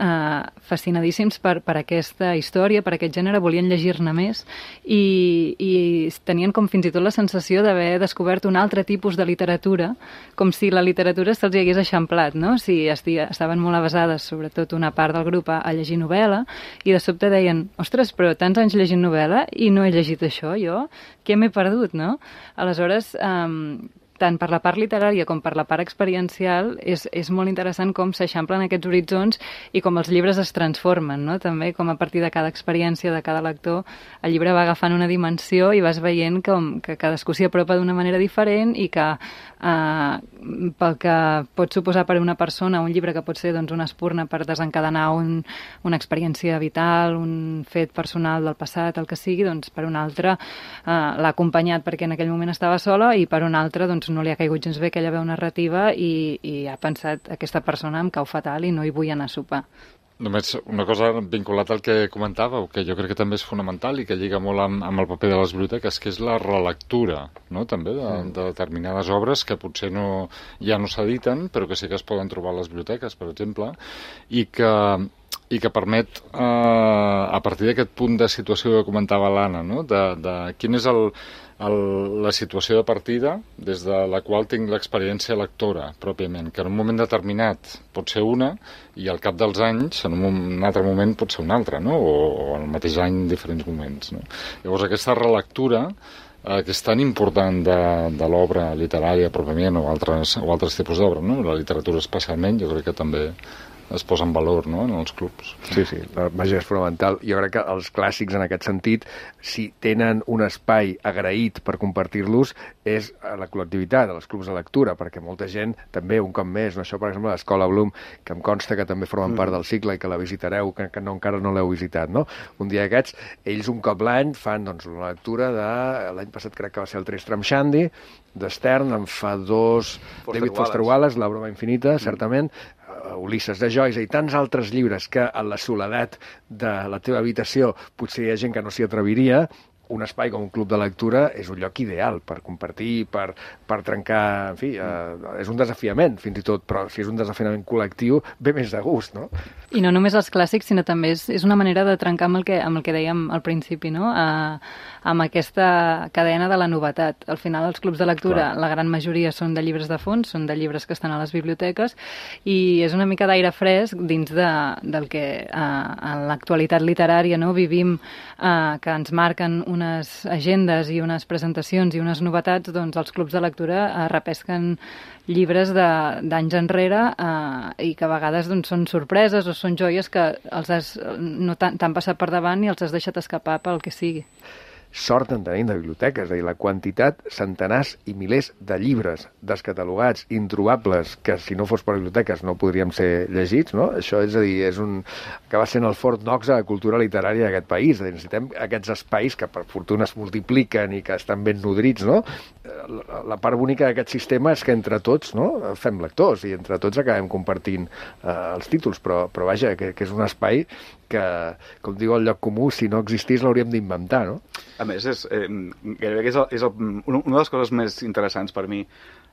fascinadíssims per aquesta història, per aquest gènere, volien llegir-ne més, i tenien com fins i tot la sensació d'haver descobert un altre tipus de literatura, com si la literatura se'ls hi hagués eixamplat, no? Si estaven molt avasades, sobretot una part del grup, a llegir novel·la, i de sobte deien, ostres, però tants anys llegint novel·la i no he llegit això, jo? Què m'he perdut, no? Aleshores, tant per la part literària com per la part experiencial, és molt interessant com s'eixamplen aquests horitzons i com els llibres es transformen, no? També com a partir de cada experiència de cada lector, el llibre va agafant una dimensió i vas veient que cadascú s'hi apropa d'una manera diferent, i que pel que pot suposar per a una persona un llibre que pot ser una espurna per desencadenar una experiència vital, un fet personal del passat, el que sigui, doncs per un altre l'ha acompanyat perquè en aquell moment estava sola, i per un altre no li ha caigut gens bé aquella veu narrativa i ha pensat, aquesta persona em cau fatal i no hi vull anar a sopar. Només una cosa vinculat al que comentàveu, que jo crec que també és fonamental i que lliga molt amb el paper de les biblioteques, que és la relectura, no? També de determinades obres que potser ja no s'editen, però que sí que es poden trobar a les biblioteques, per exemple, i que permet, a partir d'aquest punt de situació que comentava l'Anna, no? De quin és la situació de partida des de la qual tinc l'experiència lectora, pròpiament, que en un moment determinat pot ser una, i al cap dels anys, en un altre moment, pot ser una altra, no? O al mateix any en diferents moments, no? Llavors, aquesta relectura, que és tan important de l'obra literària, pròpiament, o altres tipus d'obra, no? La literatura especialment, jo crec que també es posa en valor, no?, en els clubs. Sí, vaja, és fonamental. Jo crec que els clàssics, en aquest sentit, si tenen un espai agraït per compartir-los, és a la col·lectivitat, als clubs de lectura, perquè molta gent, també, un cop més, no? Això, per exemple, l'Escola Bloom, que em consta que també formen part del cicle i que la visitareu, que encara no l'heu visitat, no? Un dia d'aquests, ells un cop l'any fan una lectura de... L'any passat crec que va ser el Tristram Shandy, de Stern, en fa 2... David Foster Wallace, La broma infinita, certament, Ulisses de Joyce i tants altres llibres que a la soledat de la teva habitació potser hi ha gent que no s'hi atreviria, un espai com un club de lectura és un lloc ideal per compartir, per trencar, en fi, és un desafiament fins i tot, però si és un desafiament col·lectiu, ve més de gust, no? I no només els clàssics, sinó també és una manera de trencar amb el que dèiem al principi, no? Amb aquesta cadena de la novetat. Al final, els clubs de lectura, la gran majoria són de llibres de fons, són de llibres que estan a les biblioteques, i és una mica d'aire fresc dins del que en l'actualitat literària no vivim, que ens marquen unes agendes i unes presentacions i unes novetats, doncs els clubs de lectura repesquen llibres d'anys enrere i que a vegades doncs, són sorpreses o són joies que no t'han passat per davant i els has deixat escapar pel que sigui. Sort en tenim de biblioteques, és a dir, la quantitat, centenars i milers de llibres descatalogats, introbables, que si no fos per biblioteques no podríem ser llegits, no? Això és a dir, acaba sent el Fort Knox a la cultura literària d'aquest país. Necessitem aquests espais que per fortuna es multipliquen i que estan ben nodrits, no? La part bonica d'aquest sistema és que entre tots, no?, fem lectors i entre tots acabem compartint els títols, però vaja, que és un espai que, com diu el lloc comú, si no existís l'hauríem d'inventar, no? A més, gairebé que és una de les coses més interessants per mi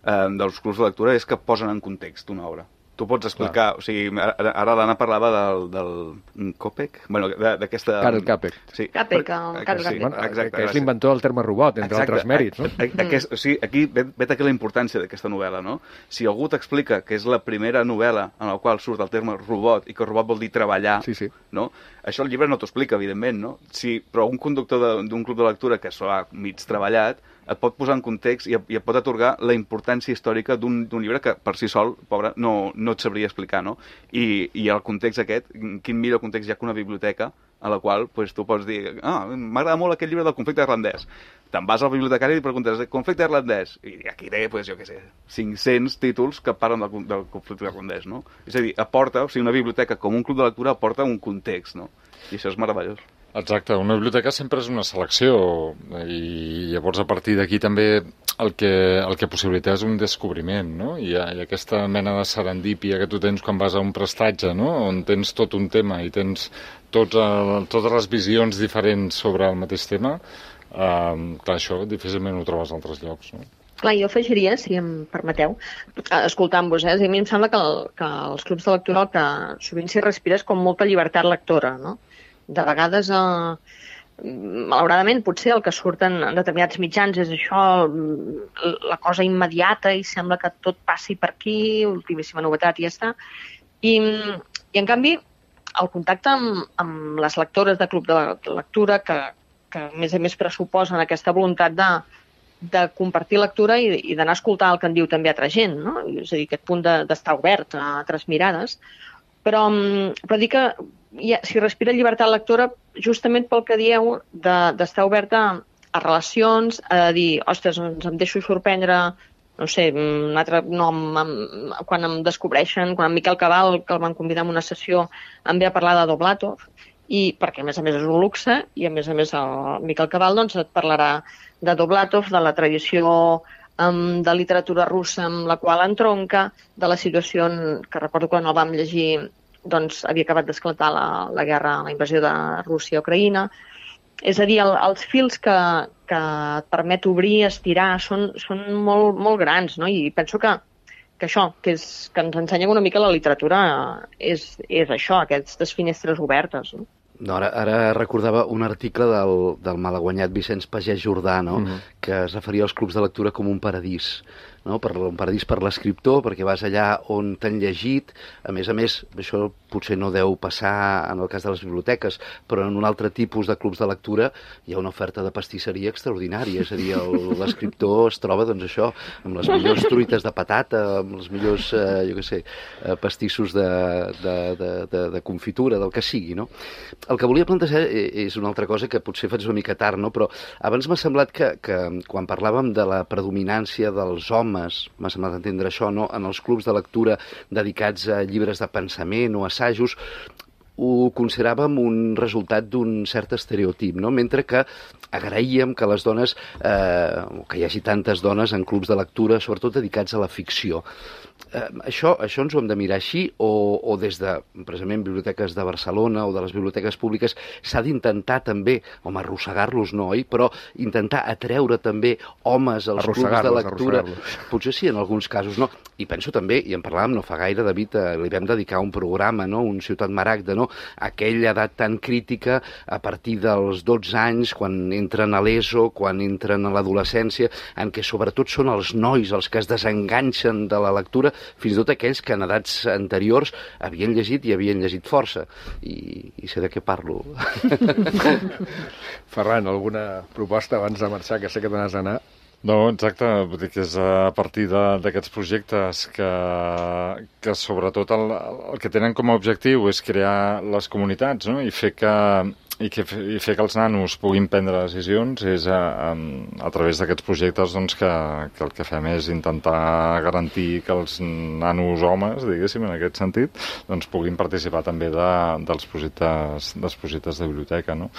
dels clubs de lectura és que posen en context una obra. Tu pots explicar, o sigui, ara l'Anna parlava del Kopek, bueno, d'aquesta... Karel Capek. Sí. Capek, que és l'inventor del terme robot, entre altres mèrits, no? O sigui, aquí vet aquí la importància d'aquesta novel·la, no? Si algú t'explica que és la primera novel·la en la qual surt el terme robot i que robot vol dir treballar, no? Això el llibre no t'ho explica, evidentment, no? Però un conductor d'un club de lectura que s'ho ha mig treballat et pot posar en context i et pot atorgar la importància històrica d'un llibre que per si sol, pobre, no et sabria explicar, no? I el context aquest, quin millor context hi ha que una biblioteca a la qual tu pots dir m'agrada molt aquest llibre del conflicte irlandès. Te'n vas al bibliotecari i li preguntes conflicte irlandès, i aquí té, jo què sé, 500 títols que parlen del conflicte irlandès, no? És a dir, una biblioteca com un club de lectura aporta un context, no? I això és meravellós. Exacte, una biblioteca sempre és una selecció i llavors a partir d'aquí també el que possibilita és un descobriment, no? I aquesta mena de serendípia que tu tens quan vas a un prestatge, no? On tens tot un tema i tens totes les visions diferents sobre el mateix tema, clar, això difícilment ho trobes a altres llocs, no? Clar, jo afegiria, si em permeteu, escoltant-vos, a mi em sembla que els clubs de lectura el que sovint s'hi respira és com molta llibertat lectora, no? De vegades, malauradament, potser el que surten en determinats mitjans és això, la cosa immediata i sembla que tot passi per aquí, ultimíssima novetat i ja està. I en canvi, el contacte amb les lectores de club de lectura, que a més pressuposen aquesta voluntat de compartir lectura i d'anar a escoltar el que en diu també altra gent, no? És a dir, aquest punt d'estar obert a altres mirades. Però dir que s'hi respira llibertat lectora justament pel que dieu d'estar oberta a relacions, a dir, ostres, em deixo sorprendre, no sé, un altre nom, quan em descobreixen, quan en Miquel Cabal, que el van convidar a una sessió, em ve a parlar de Doblatov, perquè a més és un luxe, i a més el Miquel Cabal doncs, et parlarà de Doblatov, de la tradició de literatura russa amb la qual entronca, de la situació que recordo quan el vam llegir, doncs havia acabat d'esclatar la guerra, la invasió de Rússia a Ucraïna. És a dir, els fils que et permet obrir, estirar, són molt, molt grans, no? I penso que això, que ens ensenya una mica la literatura, és això, aquestes finestres obertes, no? No, ara recordava un article del malaguanyat Vicenç Pagès Jordà, no? Que es referia als clubs de lectura com un paradís, no? Un paradís per l'escriptor, perquè vas allà on t'han llegit. A més, això potser no deu passar en el cas de les biblioteques, però en un altre tipus de clubs de lectura hi ha una oferta de pastisseria extraordinària. És a dir, l'escriptor es troba, doncs això, amb les millors truites de patata, amb els millors, pastissos de confitura, del que sigui, no? El que volia plantejar és una altra cosa que potser faig una mica tard, no? Però abans m'ha semblat que quan parlàvem de la predominància dels homes, m'ha semblat entendre això, no? En els clubs de lectura dedicats a llibres de pensament o assajos, ho consideràvem un resultat d'un cert estereotip, no? Mentre que agraíem que les dones, que hi hagi tantes dones en clubs de lectura, sobretot dedicats a la ficció. això ens ho hem de mirar així o des de, precisament, biblioteques de Barcelona o de les biblioteques públiques s'ha d'intentar també, arrossegar-los no, oi? Però intentar atreure també homes als clubs de lectura. Potser sí, en alguns casos, no? I penso també, i en parlàvem no fa gaire, David, li vam dedicar un programa, no? Un Ciutat Maragda, no? Aquella edat tan crítica a partir dels 12 anys, quan entren a l'ESO, quan entren a l'adolescència, en què sobretot són els nois els que es desenganxen de la lectura, fins i tot aquells que en edats anteriors havien llegit i havien llegit força. I sé de què parlo. Ferran, alguna proposta abans de marxar, que sé que t'anaves a anar? No, exacte, vull dir que és a partir d'aquests projectes que sobretot el que tenen com a objectiu és crear les comunitats, no? I fer que els nanos puguin prendre decisions és a través d'aquests projectes doncs, que el que fem és intentar garantir que els nanos homes, diguéssim, en aquest sentit, doncs, puguin participar també dels projectes de biblioteca, no?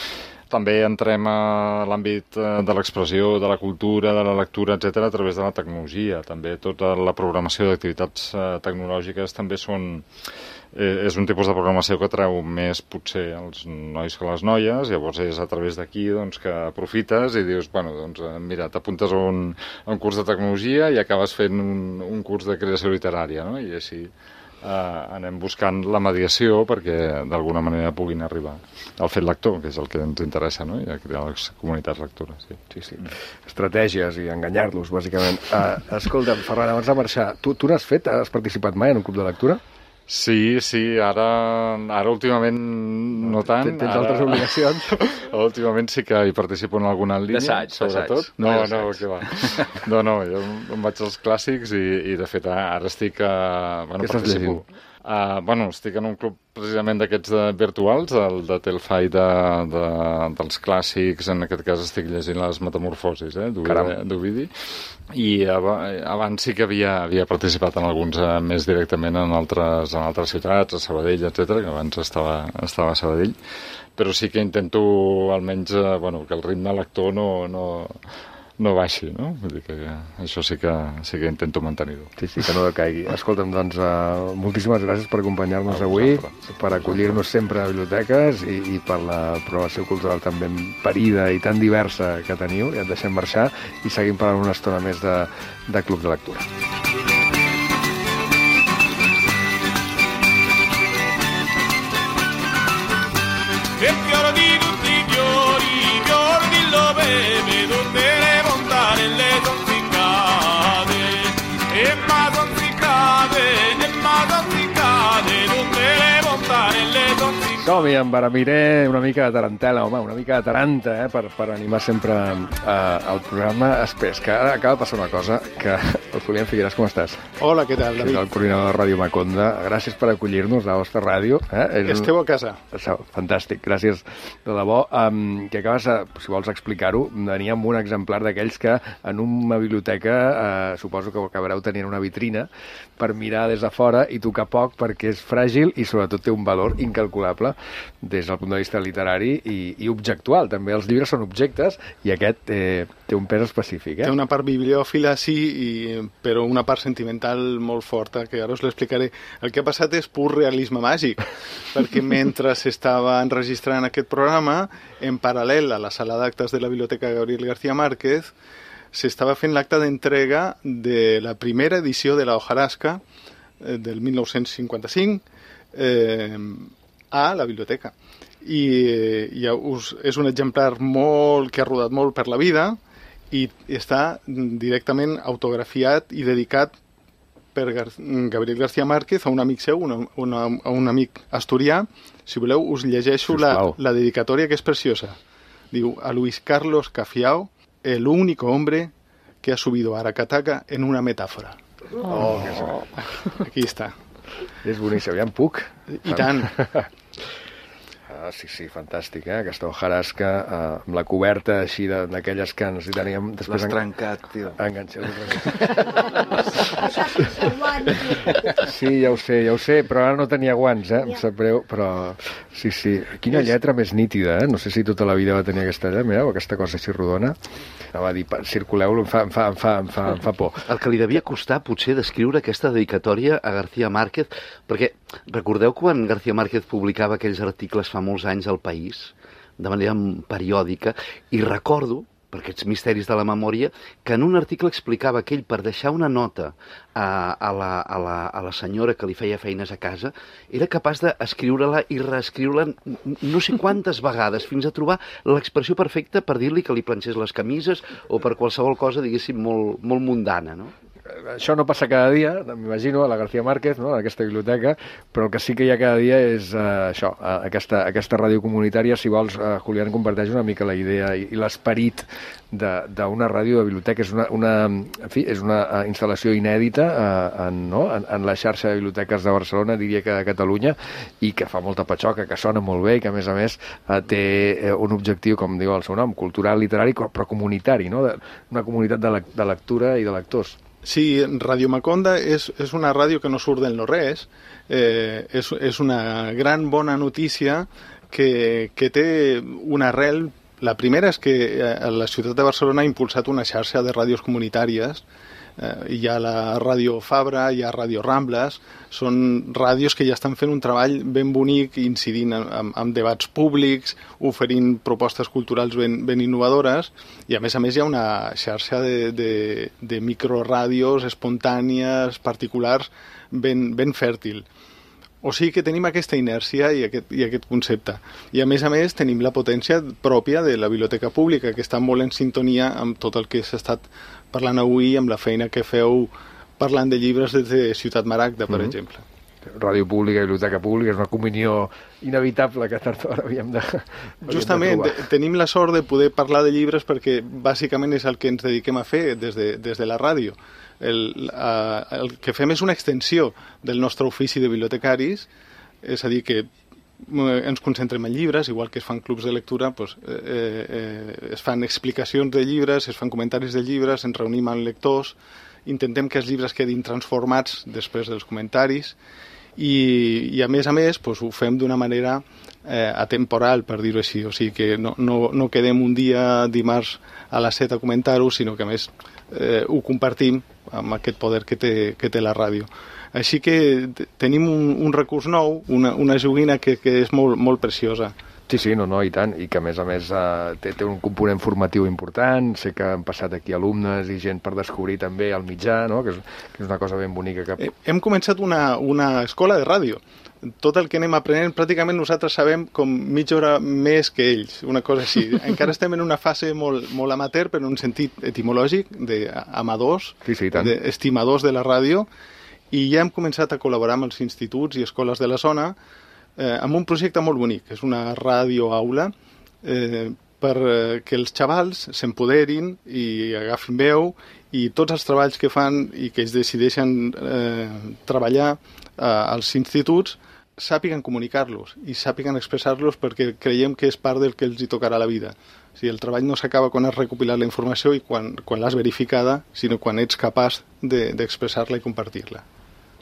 També entrem a l'àmbit de l'expressió, de la cultura, de la lectura, etc a través de la tecnologia. També tota la programació d'activitats tecnològiques també és un tipus de programació que atreu més potser els nois que les noies, llavors és a través d'aquí doncs, que aprofites i dius, bueno, doncs mira, t'apuntes a un curs de tecnologia i acabes fent un curs de creació literària, no? I així anem buscant la mediació perquè d'alguna manera puguin arribar al fet lector, que és el que ens interessa, no? I a crear les comunitats lectores. Sí. Estratègies i enganyar-los, bàsicament. Escolta, Ferran, abans de marxar, tu n'has fet? Has participat mai en un club de lectura? Sí, ara últimament no tant. Tens altres obligacions? Últimament sí que hi participo en alguna línia, sobretot. No, què va. No, jo em vaig als clàssics i de fet ara estic... Què estàs llegint? Estic en un club precisament d'aquests virtuals, el de Telfai dels clàssics, en aquest cas estic llegint les Metamorfosis, d'Ovidi, i abans sí que havia participat en alguns més directament en altres ciutats, a Sabadell, etc, que abans estava a Sabadell, però sí que intento almenys que el ritme lector no baixi, no? Vull dir que això sí que intento mantenir-ho. Sí, que no decaigui. Escolta'm, doncs, moltíssimes gràcies per acompanyar-nos avui, per acollir-nos sempre a biblioteques i per la programació cultural tan ben parida i tan diversa que teniu. I et deixem marxar i seguim parlant una estona més de club de lectura. Som-hi, en Baramiré, una mica de tarantela, home, una mica de taranta, per animar sempre el programa. Espera, que ara acaba de passar una cosa, que el Julián Figueras, com estàs? Hola, què tal, David? Que és el coordinador de Ràdio Maconda. Gràcies per acollir-nos a la vostra ràdio. Esteu a casa. Fantàstic, gràcies de debò. Que acabes, si vols explicar-ho, venia amb un exemplar d'aquells que en una biblioteca suposo que acabareu tenint una vitrina per mirar des de fora i tocar poc perquè és fràgil i sobretot té un valor incalculable des del punt de vista literari i objectual. També els llibres són objectes i aquest té un pes específic. Té una part bibliòfila, sí, però una part sentimental molt forta, que ara us l'explicaré. El que ha passat és pur realisme màgic, perquè mentre s'estava enregistrant aquest programa, en paral·lel a la sala d'actes de la Biblioteca Gabriel García Márquez, s'estava fent l'acte d'entrega de la primera edició de la Hojarasca del 1955 a la biblioteca. I és un exemplar que ha rodat molt per la vida i està directament autografiat i dedicat per Gabriel García Márquez a un amic seu, a un amic asturià. Si voleu, us llegeixo la dedicatòria, que és preciosa. Diu: a Luis Carlos Cafiao, el único hombre que ha subido a Aracataca en una metáfora. Aquí està. És boníssim, ja en puc. I tant. Sí, fantàstic, aquesta hojarasca amb la coberta així d'aquelles que ens hi teníem... L'has trencat, tio. Enganxat. Sí, ja ho sé, però ara no tenia guants, em sap greu, però sí. Quina lletra més nítida, No sé si tota la vida va tenir aquesta lletra, mireu, aquesta cosa així rodona. Va dir, circuleu-lo, em fa por. El que li devia costar, potser, d'escriure aquesta dedicatòria a García Márquez, perquè recordeu quan García Márquez publicava aquells articles fa molts anys al País, de manera periòdica, i recordo, per aquests misteris de la memòria, que en un article explicava que ell, per deixar una nota a la senyora que li feia feines a casa, era capaç d'escriure-la i reescriure-la no sé quantes vegades, fins a trobar l'expressió perfecta per dir-li que li planxés les camises o per qualsevol cosa, diguéssim, molt mundana, no? Això no passa cada dia, m'imagino, a la García Márquez, en aquesta biblioteca, però el que sí que hi ha cada dia és això, aquesta ràdio comunitària. Si vols, Julián, comparteix una mica la idea i l'esperit d'una ràdio de biblioteca. És una instal·lació inèdita en la xarxa de biblioteques de Barcelona, diria que de Catalunya, i que fa molta patxoca, que sona molt bé i que, a més, té un objectiu, com diu el seu nom, cultural, literari, però comunitari, una comunitat de lectura i de lectors. Sí, Radio Maconda és una ràdio que no surt del no-res, és una gran bona notícia que té una arrel. La primera és que la ciutat de Barcelona ha impulsat una xarxa de ràdios comunitàries. Hi ha la Ràdio Fabra, hi ha Ràdio Rambles, són ràdios que ja estan fent un treball ben bonic, incidint en debats públics, oferint propostes culturals ben innovadores, i a més hi ha una xarxa de microràdios espontànies, particulars, ben fèrtil. O sigui que tenim aquesta inèrcia i aquest concepte. I a més tenim la potència pròpia de la biblioteca pública, que està molt en sintonia amb tot el que s'ha estat parlant avui, amb la feina que feu parlant de llibres des de Ciutat Maragda, per exemple. Ràdio pública i biblioteca pública és una comunió inevitable que tard o d'hora havíem de Justament, tenim la sort de poder parlar de llibres perquè bàsicament és el que ens dediquem a fer des de la ràdio. El que fem és una extensió del nostre ofici de bibliotecaris, és a dir, que ens concentrem en llibres, igual que es fan clubs de lectura, es fan explicacions de llibres, es fan comentaris de llibres, ens reunim amb lectors, intentem que els llibres quedin transformats després dels comentaris i a més, ho fem d'una manera atemporal, per dir-ho així, o sigui que no quedem un dia dimarts a les 7 a comentar-ho, sinó que a més ho compartim amb aquest poder que té la ràdio. Així que tenim un recurs nou, una joguina que és molt preciosa. Sí, no, i tant, i que a més té un component formatiu important. Sé que han passat aquí alumnes i gent per descobrir també el mitjà, que és una cosa ben bonica. Hem començat una escola de ràdio. Tot el que anem aprenent, pràcticament nosaltres sabem com mitja hora més que ells, una cosa així. Encara estem en una fase molt amateur, però en un sentit etimològic, d'amadors, d'estimadors de la ràdio, i ja hem començat a col·laborar amb els instituts i escoles de la zona amb un projecte molt bonic. És una ràdio-aula perquè els xavals s'empoderin i agafin veu i tots els treballs que fan i que ells decideixen treballar als instituts sàpiguen comunicar-los i sàpiguen expressar-los, perquè creiem que és part del que els hi tocarà a la vida. O sigui, el treball no s'acaba quan has recopilat la informació i quan l'has verificada, sinó quan ets capaç d'expressar-la i compartir-la.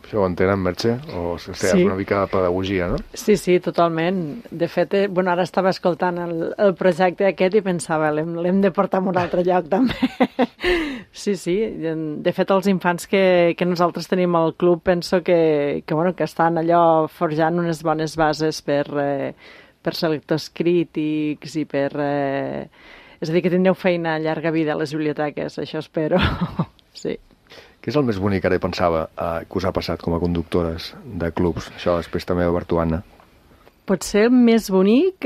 Això ho entenen, Merche? O sigui, sí. Una mica de pedagogia, no? Sí, totalment. De fet, ara estava escoltant el projecte aquest i pensava, l'hem de portar a un altre lloc, també. Sí. De fet, els infants que nosaltres tenim al club penso que estan allò forjant unes bones bases per ser lectors crítics i per... És a dir, que tindreu feina a llarga vida a les biblioteques, això espero. Sí. Què és el més bonic, ara pensava, que us ha passat com a conductores de clubs? Això després també a Bertuana. Potser el més bonic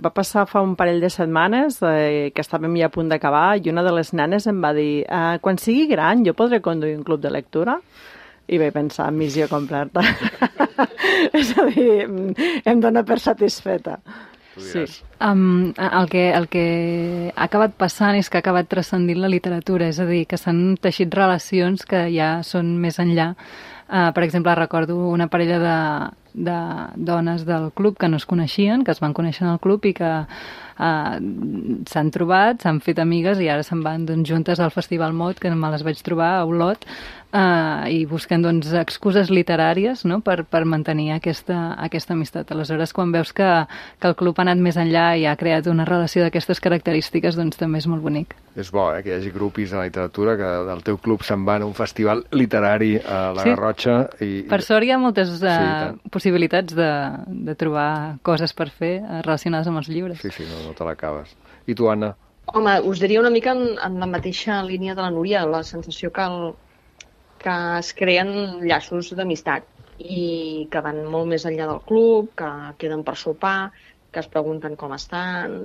va passar fa un parell de setmanes que estàvem ja a punt d'acabar i una de les nenes em va dir quan sigui gran jo podré conduir un club de lectura? I vaig pensar, missió completa. És a dir, em dóna per satisfeta. Sí. El que ha acabat passant és que ha acabat transcendint la literatura, és a dir, que s'han teixit relacions que ja són més enllà. Per exemple, recordo una parella de dones del club que no es coneixien, que es van conèixer en el club i que s'han trobat, s'han fet amigues i ara se'n van juntes al Festival Mot, que me les vaig trobar a Olot, i busquen excuses literàries, no?, per mantenir aquesta amistat. Aleshores, quan veus que el club ha anat més enllà i ha creat una relació d'aquestes característiques, doncs també és molt bonic. És bo, que hi hagi grupis de la literatura que del teu club se'n van a un festival literari a la Garrotxa. Per sort hi ha moltes possibilitats de trobar coses per fer relacionades amb els llibres. Sí, no te l'acabes. I tu, Anna? Home, us diria una mica en la mateixa línia de la Núria, la sensació que es creen llaços d'amistat i que van molt més enllà del club, que queden per sopar, que es pregunten com estan,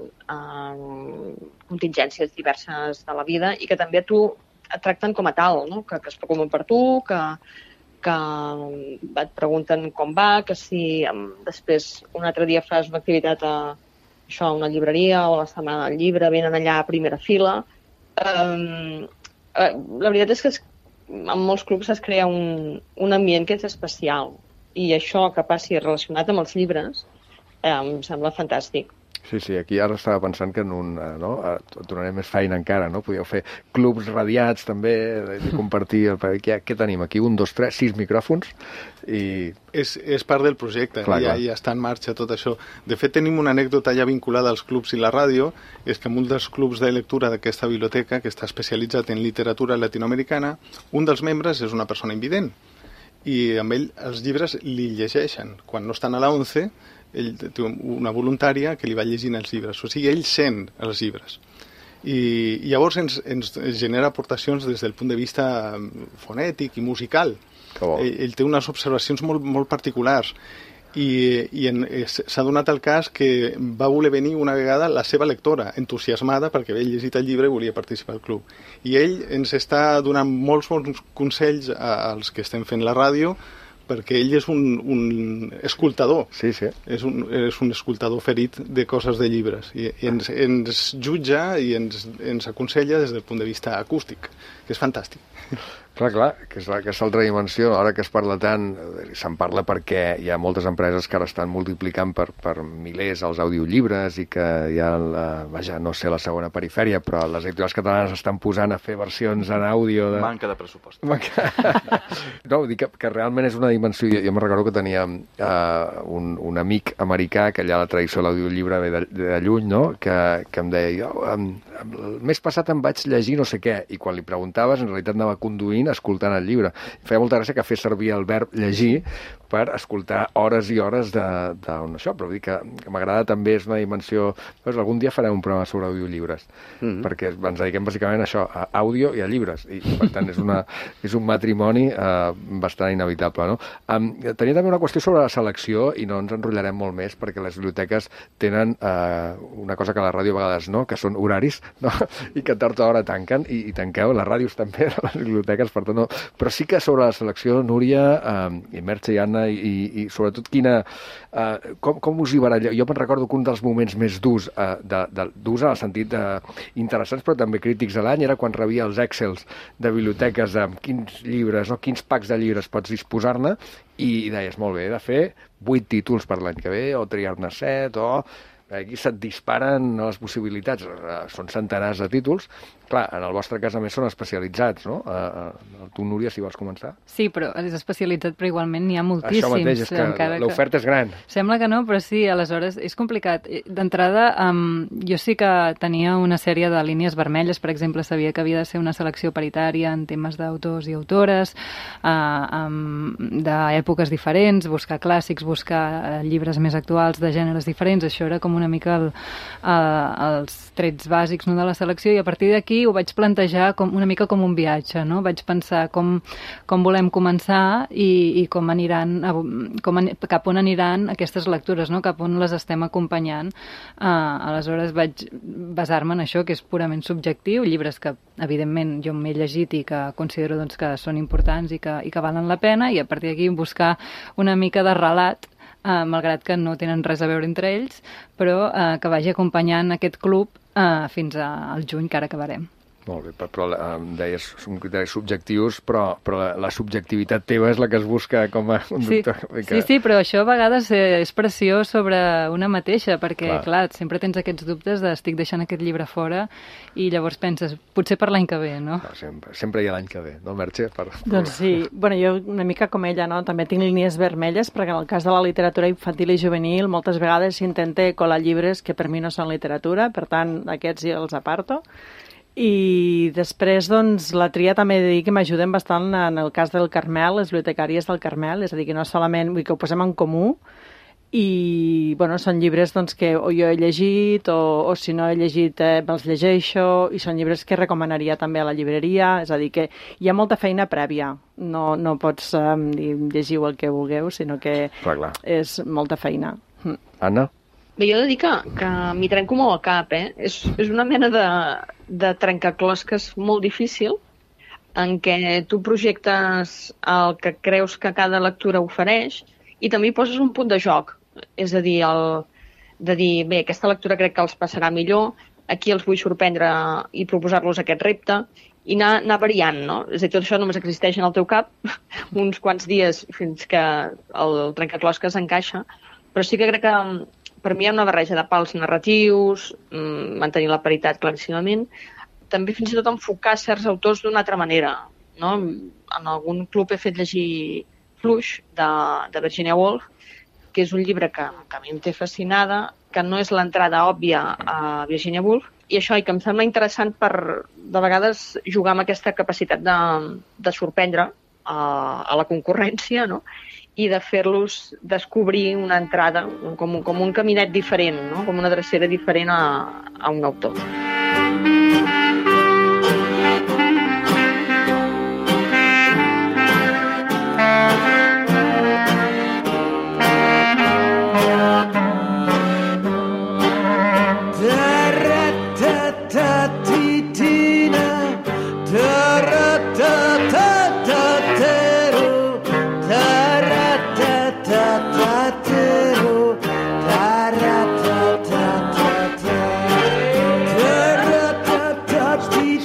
contingències diverses de la vida i que també a tu et tracten com a tal, no? Que es preocupen per tu, que et pregunten com va, que si després un altre dia fas una activitat a una llibreria o a la Setmana del Llibre, venen allà a primera fila. La veritat és que en molts clubs es crea un ambient que és especial i això que passi relacionat amb els llibres em sembla fantàstic. Sí, aquí ara estava pensant que et donaré més feina encara, no? Podíeu fer clubs radiats també, de compartir... Què tenim aquí? 1, 2, 3, 6 micròfons i... És part del projecte, ja està en marxa tot això. De fet, tenim una anècdota ja vinculada als clubs i la ràdio, és que en un dels clubs de lectura d'aquesta biblioteca, que està especialitzat en literatura latinoamericana, un dels membres és una persona invident i amb ell els llibres li llegeixen. Quan no estan a la 11, ell té una voluntària que li va llegint els llibres, o sigui, ell sent els llibres. I llavors ens genera aportacions des del punt de vista fonètic i musical. Ell té unes observacions molt particulars i s'ha donat el cas que va voler venir una vegada la seva lectora, entusiasmada perquè havia llegit el llibre i volia participar al club. I ell ens està donant molts bons consells als que estem fent la ràdio, perquè ell és un escoltador. Sí. És un escoltador ferit de coses de llibres. I ens jutja i ens aconsella des del punt de vista acústic, que és fantàstic. Clar, que és aquesta altra dimensió. Ara que es parla tant, se'n parla perquè hi ha moltes empreses que ara estan multiplicant per milers els audiollibres i que hi ha, no sé, la segona perifèria, però les editorials catalanes estan posant a fer versions en àudio. Manca de pressupost. No, dic que realment és una dimensió. Jo me'n recordo que tenia un amic americà que allà la tradició de l'audiollibre ve de lluny, no? Que em deia, el mes passat em vaig llegir no sé què, i quan li preguntaves en realitat anava conduint escoltant el llibre. Feia molta gràcia que fes servir el verb llegir per escoltar hores i hores d'això, però vull dir que m'agrada també, és una dimensió... Algun dia farem un programa sobre audiollibres, perquè ens dediquem bàsicament a això, a àudio i a llibres, i per tant és un matrimoni bastant inevitable, no? Tenia també una qüestió sobre la selecció, i no ens enrotllarem molt més, perquè les biblioteques tenen una cosa que a la ràdio a vegades no, que són horaris, no? I que tard o d'hora tanquen, i tanqueu, les ràdios també, les biblioteques, per tant no. Però sí que sobre la selecció, Núria, i Merche i Anna, i sobretot com us hi baralleu? Jo me'n recordo que un dels moments més durs en el sentit interessants, però també crítics de l'any, era quan rebia els Excels de biblioteques amb quins llibres, no, quins packs de llibres pots disposar-ne, i deies, molt bé, he de fer 8 títols per l'any que ve, o triar-ne 7, o... Aquí se't disparen les possibilitats, són centenars de títols. Clar, en el vostre cas, a més, són especialitzats, no? Tu, Núria, si vols començar. Sí, però és especialitzat, però igualment n'hi ha moltíssims. Això mateix, és que l'oferta és gran. Sembla que no, però sí, aleshores és complicat. D'entrada, jo sí que tenia una sèrie de línies vermelles, per exemple, sabia que havia de ser una selecció paritària en temes d'autors i autores, d'èpoques diferents, buscar clàssics, buscar llibres més actuals de gèneres diferents, això era com una mica els trets bàsics, no, de la selecció, i a partir d'aquí ho vaig plantejar una mica com un viatge, no? Vaig pensar com volem començar i cap on aniran aquestes lectures, no? Cap on les estem acompanyant. Aleshores vaig basar-me en això, que és purament subjectiu, llibres que evidentment jo m'he llegit i que considero doncs, que són importants i que valen la pena, i a partir d'aquí buscar una mica de relat, malgrat que no tenen res a veure entre ells, però que vagi acompanyant aquest club fins al juny, que ara acabarem. Molt bé, però em deies, són criteris subjectius, però la subjectivitat teva és la que es busca com a conductor. Sí, però això a vegades és pressió sobre una mateixa, perquè, clar, sempre tens aquests dubtes de estic deixant aquest llibre fora i llavors penses, potser per l'any que ve, no? Sempre hi ha l'any que ve, no, Merche? Doncs sí, bueno, jo una mica com ella, no? També tinc línies vermelles, perquè en el cas de la literatura infantil i juvenil moltes vegades s'intenta colar llibres que per mi no són literatura, per tant, aquests ja els aparto. I després, doncs, la tria també he de dir que m'ajuden bastant en el cas del Carmel, les bibliotecàries del Carmel, és a dir, que no solament, vull que ho posem en comú, i, bueno, són llibres doncs, que o jo he llegit o si no he llegit me'ls llegeixo, i són llibres que recomanaria també a la llibreria, és a dir, que hi ha molta feina prèvia, no pots dir llegiu el que vulgueu, sinó que és molta feina. Anna? Bé, jo he de dir que m'hi trenco molt al cap, És una mena de trencaclosques molt difícil en què tu projectes el que creus que cada lectura ofereix i també hi poses un punt de joc. És a dir, bé, aquesta lectura crec que els passarà millor, aquí els vull sorprendre i proposar-los aquest repte i anar variant, no? És a dir, tot això només existeix en el teu cap uns quants dies fins que el trencaclosques encaixa, però sí que crec que per mi hi ha una barreja de pals narratius, mantenir la paritat claríssimament, també fins i tot enfocar certs autors d'una altra manera, no? En algun club he fet llegir Fluix, de Virginia Woolf, que és un llibre que a mi em té fascinada, que no és l'entrada òbvia a Virginia Woolf, i això, i que em sembla interessant per, de vegades, jugar amb aquesta capacitat de sorprendre a la concurrència, no? I de fer-los descobrir una entrada, com un caminet diferent, no? Com una drecera diferent a un autor.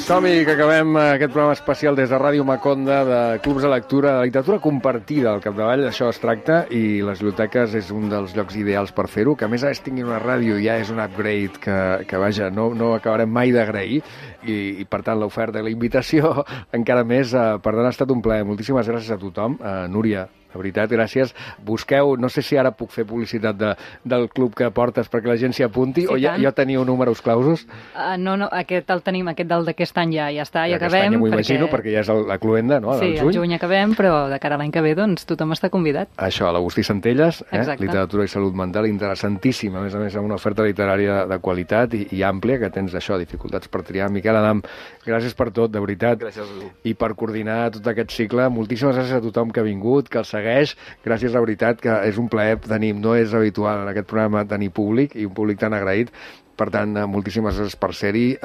Som-hi, que acabem aquest programa especial des de Ràdio Maconda de clubs de lectura, de literatura compartida al capdavall, d'això es tracta, i les biblioteques és un dels llocs ideals per fer-ho, que a més a més tinguin una ràdio ja és un upgrade que vaja, no acabarem mai d'agrair, i per tant l'oferta i la invitació encara més, per tant ha estat un plaer. Moltíssimes gràcies a tothom. Núria, de veritat, gràcies. Busqueu, no sé si ara puc fer publicitat del club que portes perquè la gent s'hi apunti, o ja teniu números clausos? No, aquest el tenim, aquest d'aquest any ja està, ja acabem. Aquest any m'ho imagino, perquè ja és la cluenda, no? Sí, al juny acabem, però de cara a l'any que ve, doncs, tothom està convidat. Això, l'Agustí Centelles, literatura i salut mental, interessantíssima, a més amb una oferta literària de qualitat i àmplia, que tens això, dificultats per triar. Miquel Adam, gràcies per tot, de veritat. Gràcies a tu. I per coordinar tot aquest cicle. Moltíssimes gràcies a tothom que ha vingut, que el segueix. Gràcies, de veritat, que és un plaer tenir, no és habitual en aquest programa tenir públic, i un públic tan agraït. Per tant, moltíssimes gràcies per ser-hi.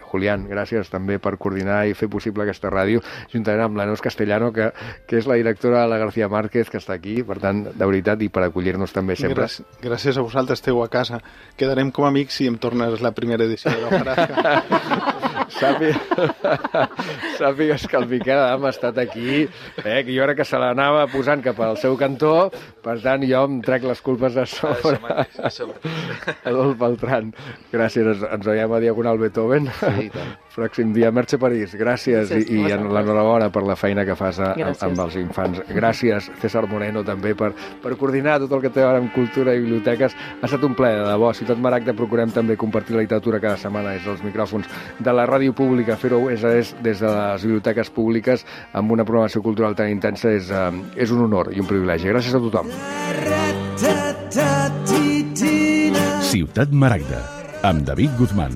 Julián, gràcies també per coordinar i fer possible aquesta ràdio, juntament amb la Neus Castellano, que és la directora de la García Márquez, que està aquí, per tant, de veritat, i per acollir-nos també sempre. Gràcies a vosaltres, esteu a casa. Quedarem com amics si em tornes la primera edició de l'Ojarasca. Sàpigues que el Miquel Adam ha estat aquí, que jo crec que se l'anava posant cap al seu cantó, per tant jo em trec les culpes a sobre. Adolf Beltrán, gràcies, ens veiem a Diagonal Beethoven. Sí, tant. Pròxim dia. Merche París, gràcies, i l'enhorabona per la feina que fas amb els infants. Gràcies, César Moreno, també, per coordinar tot el que té a veure amb cultura i biblioteques. Ha estat un plaer, de debò. Ciutat Maragda procurem també compartir la literatura cada setmana des dels micròfons de la ràdio pública. Fer-ho és des de les biblioteques públiques amb una programació cultural tan intensa és un honor i un privilegi. Gràcies a tothom. Ciutat Maragda, amb David Guzmán.